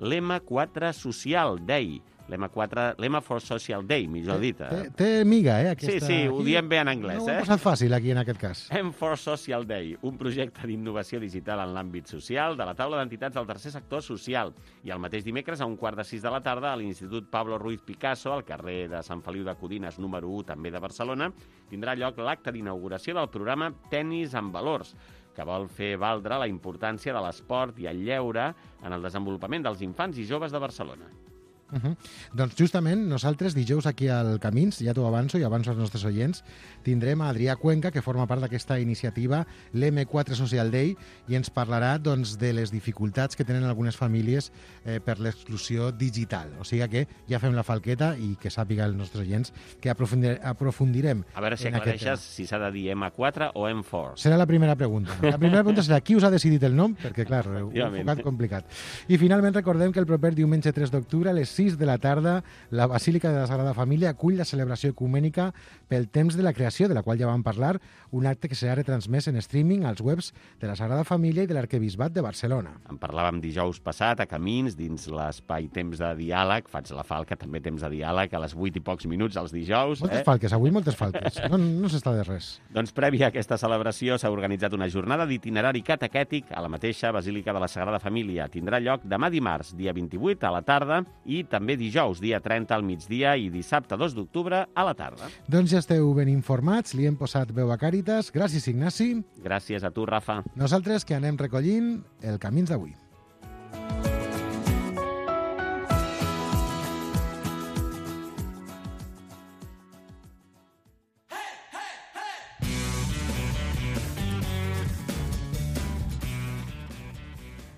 l'M quatre Social Day, L'M quatre, l'M for Social Day, millor dit. Té, té miga, eh? Aquesta... Sí, sí, ho diem bé en anglès, no eh? No ho ha posat fàcil, aquí, en aquest cas. M for Social Day, un projecte d'innovació digital en l'àmbit social de la taula d'entitats del tercer sector social. I el mateix dimecres, a un quart de sis de la tarda, a l'Institut Pablo Ruiz Picasso, al carrer de Sant Feliu de Codines, número u, també de Barcelona, tindrà lloc l'acte d'inauguració del programa Tenis amb Valors, que vol fer valdre la importància de l'esport i el lleure en el desenvolupament dels infants i joves de Barcelona. Uh -huh. Doncs justament nosaltres dijous aquí al Camins, ja t'ho avanço i avanço als nostres oients, tindrem a Adrià Cuenca, que forma part d'aquesta iniciativa, l'M quatre Social Day, i ens parlarà doncs, de les dificultats que tenen algunes famílies eh, per l'exclusió digital. O sigui que ja fem la falqueta i que sàpiga els nostres oients que aprofundir aprofundirem. A veure si aclareixes si s'ha de dir M quatre o M quatre. Serà la primera pregunta. La primera pregunta serà qui us ha decidit el nom, perquè clar, ho he enfocat complicat. I finalment recordem que el proper diumenge tres d'octubre a les sis de la tarda, la Basílica de la Sagrada Família acull la celebració ecumènica pel temps de la creació, de la qual ja vam parlar, un acte que serà retransmès en streaming als webs de la Sagrada Família i de l'Arquebisbat de Barcelona. En parlàvem dijous passat a Camins, dins l'espai Temps de Diàleg, faig la falca, també Temps de Diàleg, a les vuit i pocs minuts els dijous. Moltes eh? falques, avui moltes falques. No, no s'està de res. Doncs prèvia a aquesta celebració s'ha organitzat una jornada d'itinerari catequètic a la mateixa Basílica de la Sagrada Família. Tindrà lloc demà dimarts, dia vint-i-vuit, a la tarda, i també dijous, dia trenta al migdia i dissabte dos d'octubre a la tarda. Doncs ja esteu ben informats, li hem posat veu a Càritas. Gràcies, Ignasi. Gràcies a tu, Rafa. Nosaltres que anem recollint el Camins d'avui.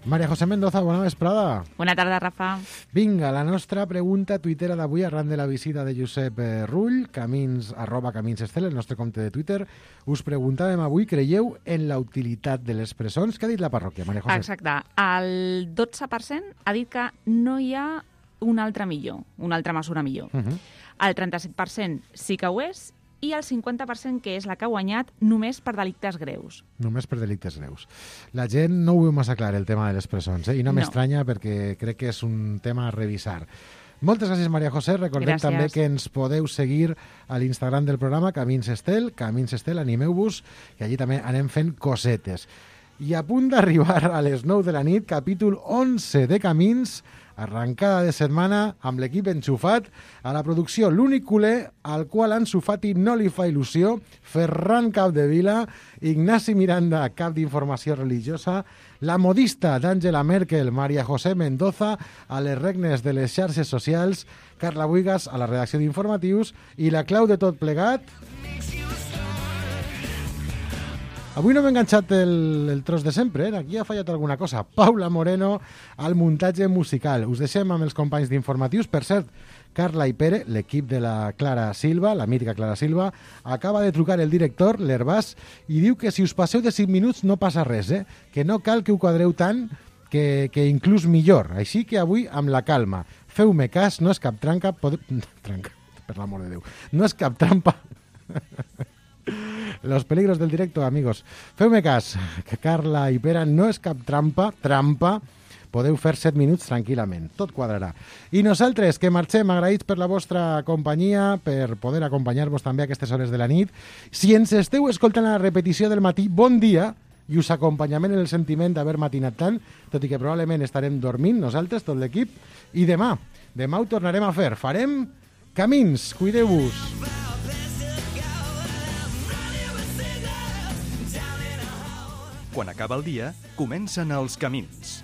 Maria José Mendoza, bona vesprada. Bona tarda, Rafa. Vinga, la nostra pregunta tuitera d'avui arran de la visita de Josep Rull, camins, arroba Camins Estel, el nostre compte de Twitter. Us preguntàvem avui, creieu en la utilitat de les presons? Què ha dit la parròquia, Maria José? Exacte. El dotze per cent ha dit que no hi ha una altra millor, una altra mesura millor. Uh -huh. El trenta-set per cent sí que ho és, i el cinquanta per cent que és la que ha guanyat només per delictes greus. Només per delictes greus. La gent no ho veu massa clar, el tema de les presons, eh? I no, no. m'estranya perquè crec que és un tema a revisar. Moltes gràcies, Maria José. Recordem gràcies. També que ens podeu seguir a l'Instagram del programa Camins Estel, Camins Estel, animeu-vos, que allí també anem fent cosetes. I a punt d'arribar a les nou de la nit, capítol onze de Camins, arrencada de setmana amb l'equip enxufat a la producció L'únic culer, al qual Ansu Fati no li fa il·lusió, Ferran Capdevila, Ignasi Miranda, cap d'informació religiosa, la modista d'Angela Merkel, Maria José Mendoza, a les regnes de les xarxes socials, Carla Buigas a la redacció d'informatius i la clau de tot plegat... Avui no m'he enganxat el, el tros de sempre, eh? Aquí ha fallat alguna cosa. Paula Moreno al muntatge musical. Us deixem amb els companys d'informatius. Per cert, Carla i Pere, l'equip de la Clara Silva, la mítica Clara Silva, acaba de trucar el director, l'Herbàs, i diu que si us passeu de cinc minuts no passa res, eh? Que no cal que ho quadreu tant, que, que inclús millor. Així que avui, amb la calma, feu-me cas, no és cap tranca... Pode... Tranca, per l'amor de Déu. No és cap trampa... Los peligros del directo, amigos. Feu-me cas, que Carla i Pere no és cap trampa, trampa, podeu fer set minuts tranquil·lament, tot quadrarà. I nosaltres, que marxem agraïts per la vostra companyia, per poder acompanyar-vos també a aquestes hores de la nit. Si ens esteu escoltant a la repetició del matí, bon dia, i us acompanyem en el sentiment d'haver matinat tant, tot i que probablement estarem dormint, nosaltres, tot l'equip, i demà, demà ho tornarem a fer. Farem Camins, cuideu-vos. Quan acaba el dia, comencen els camins.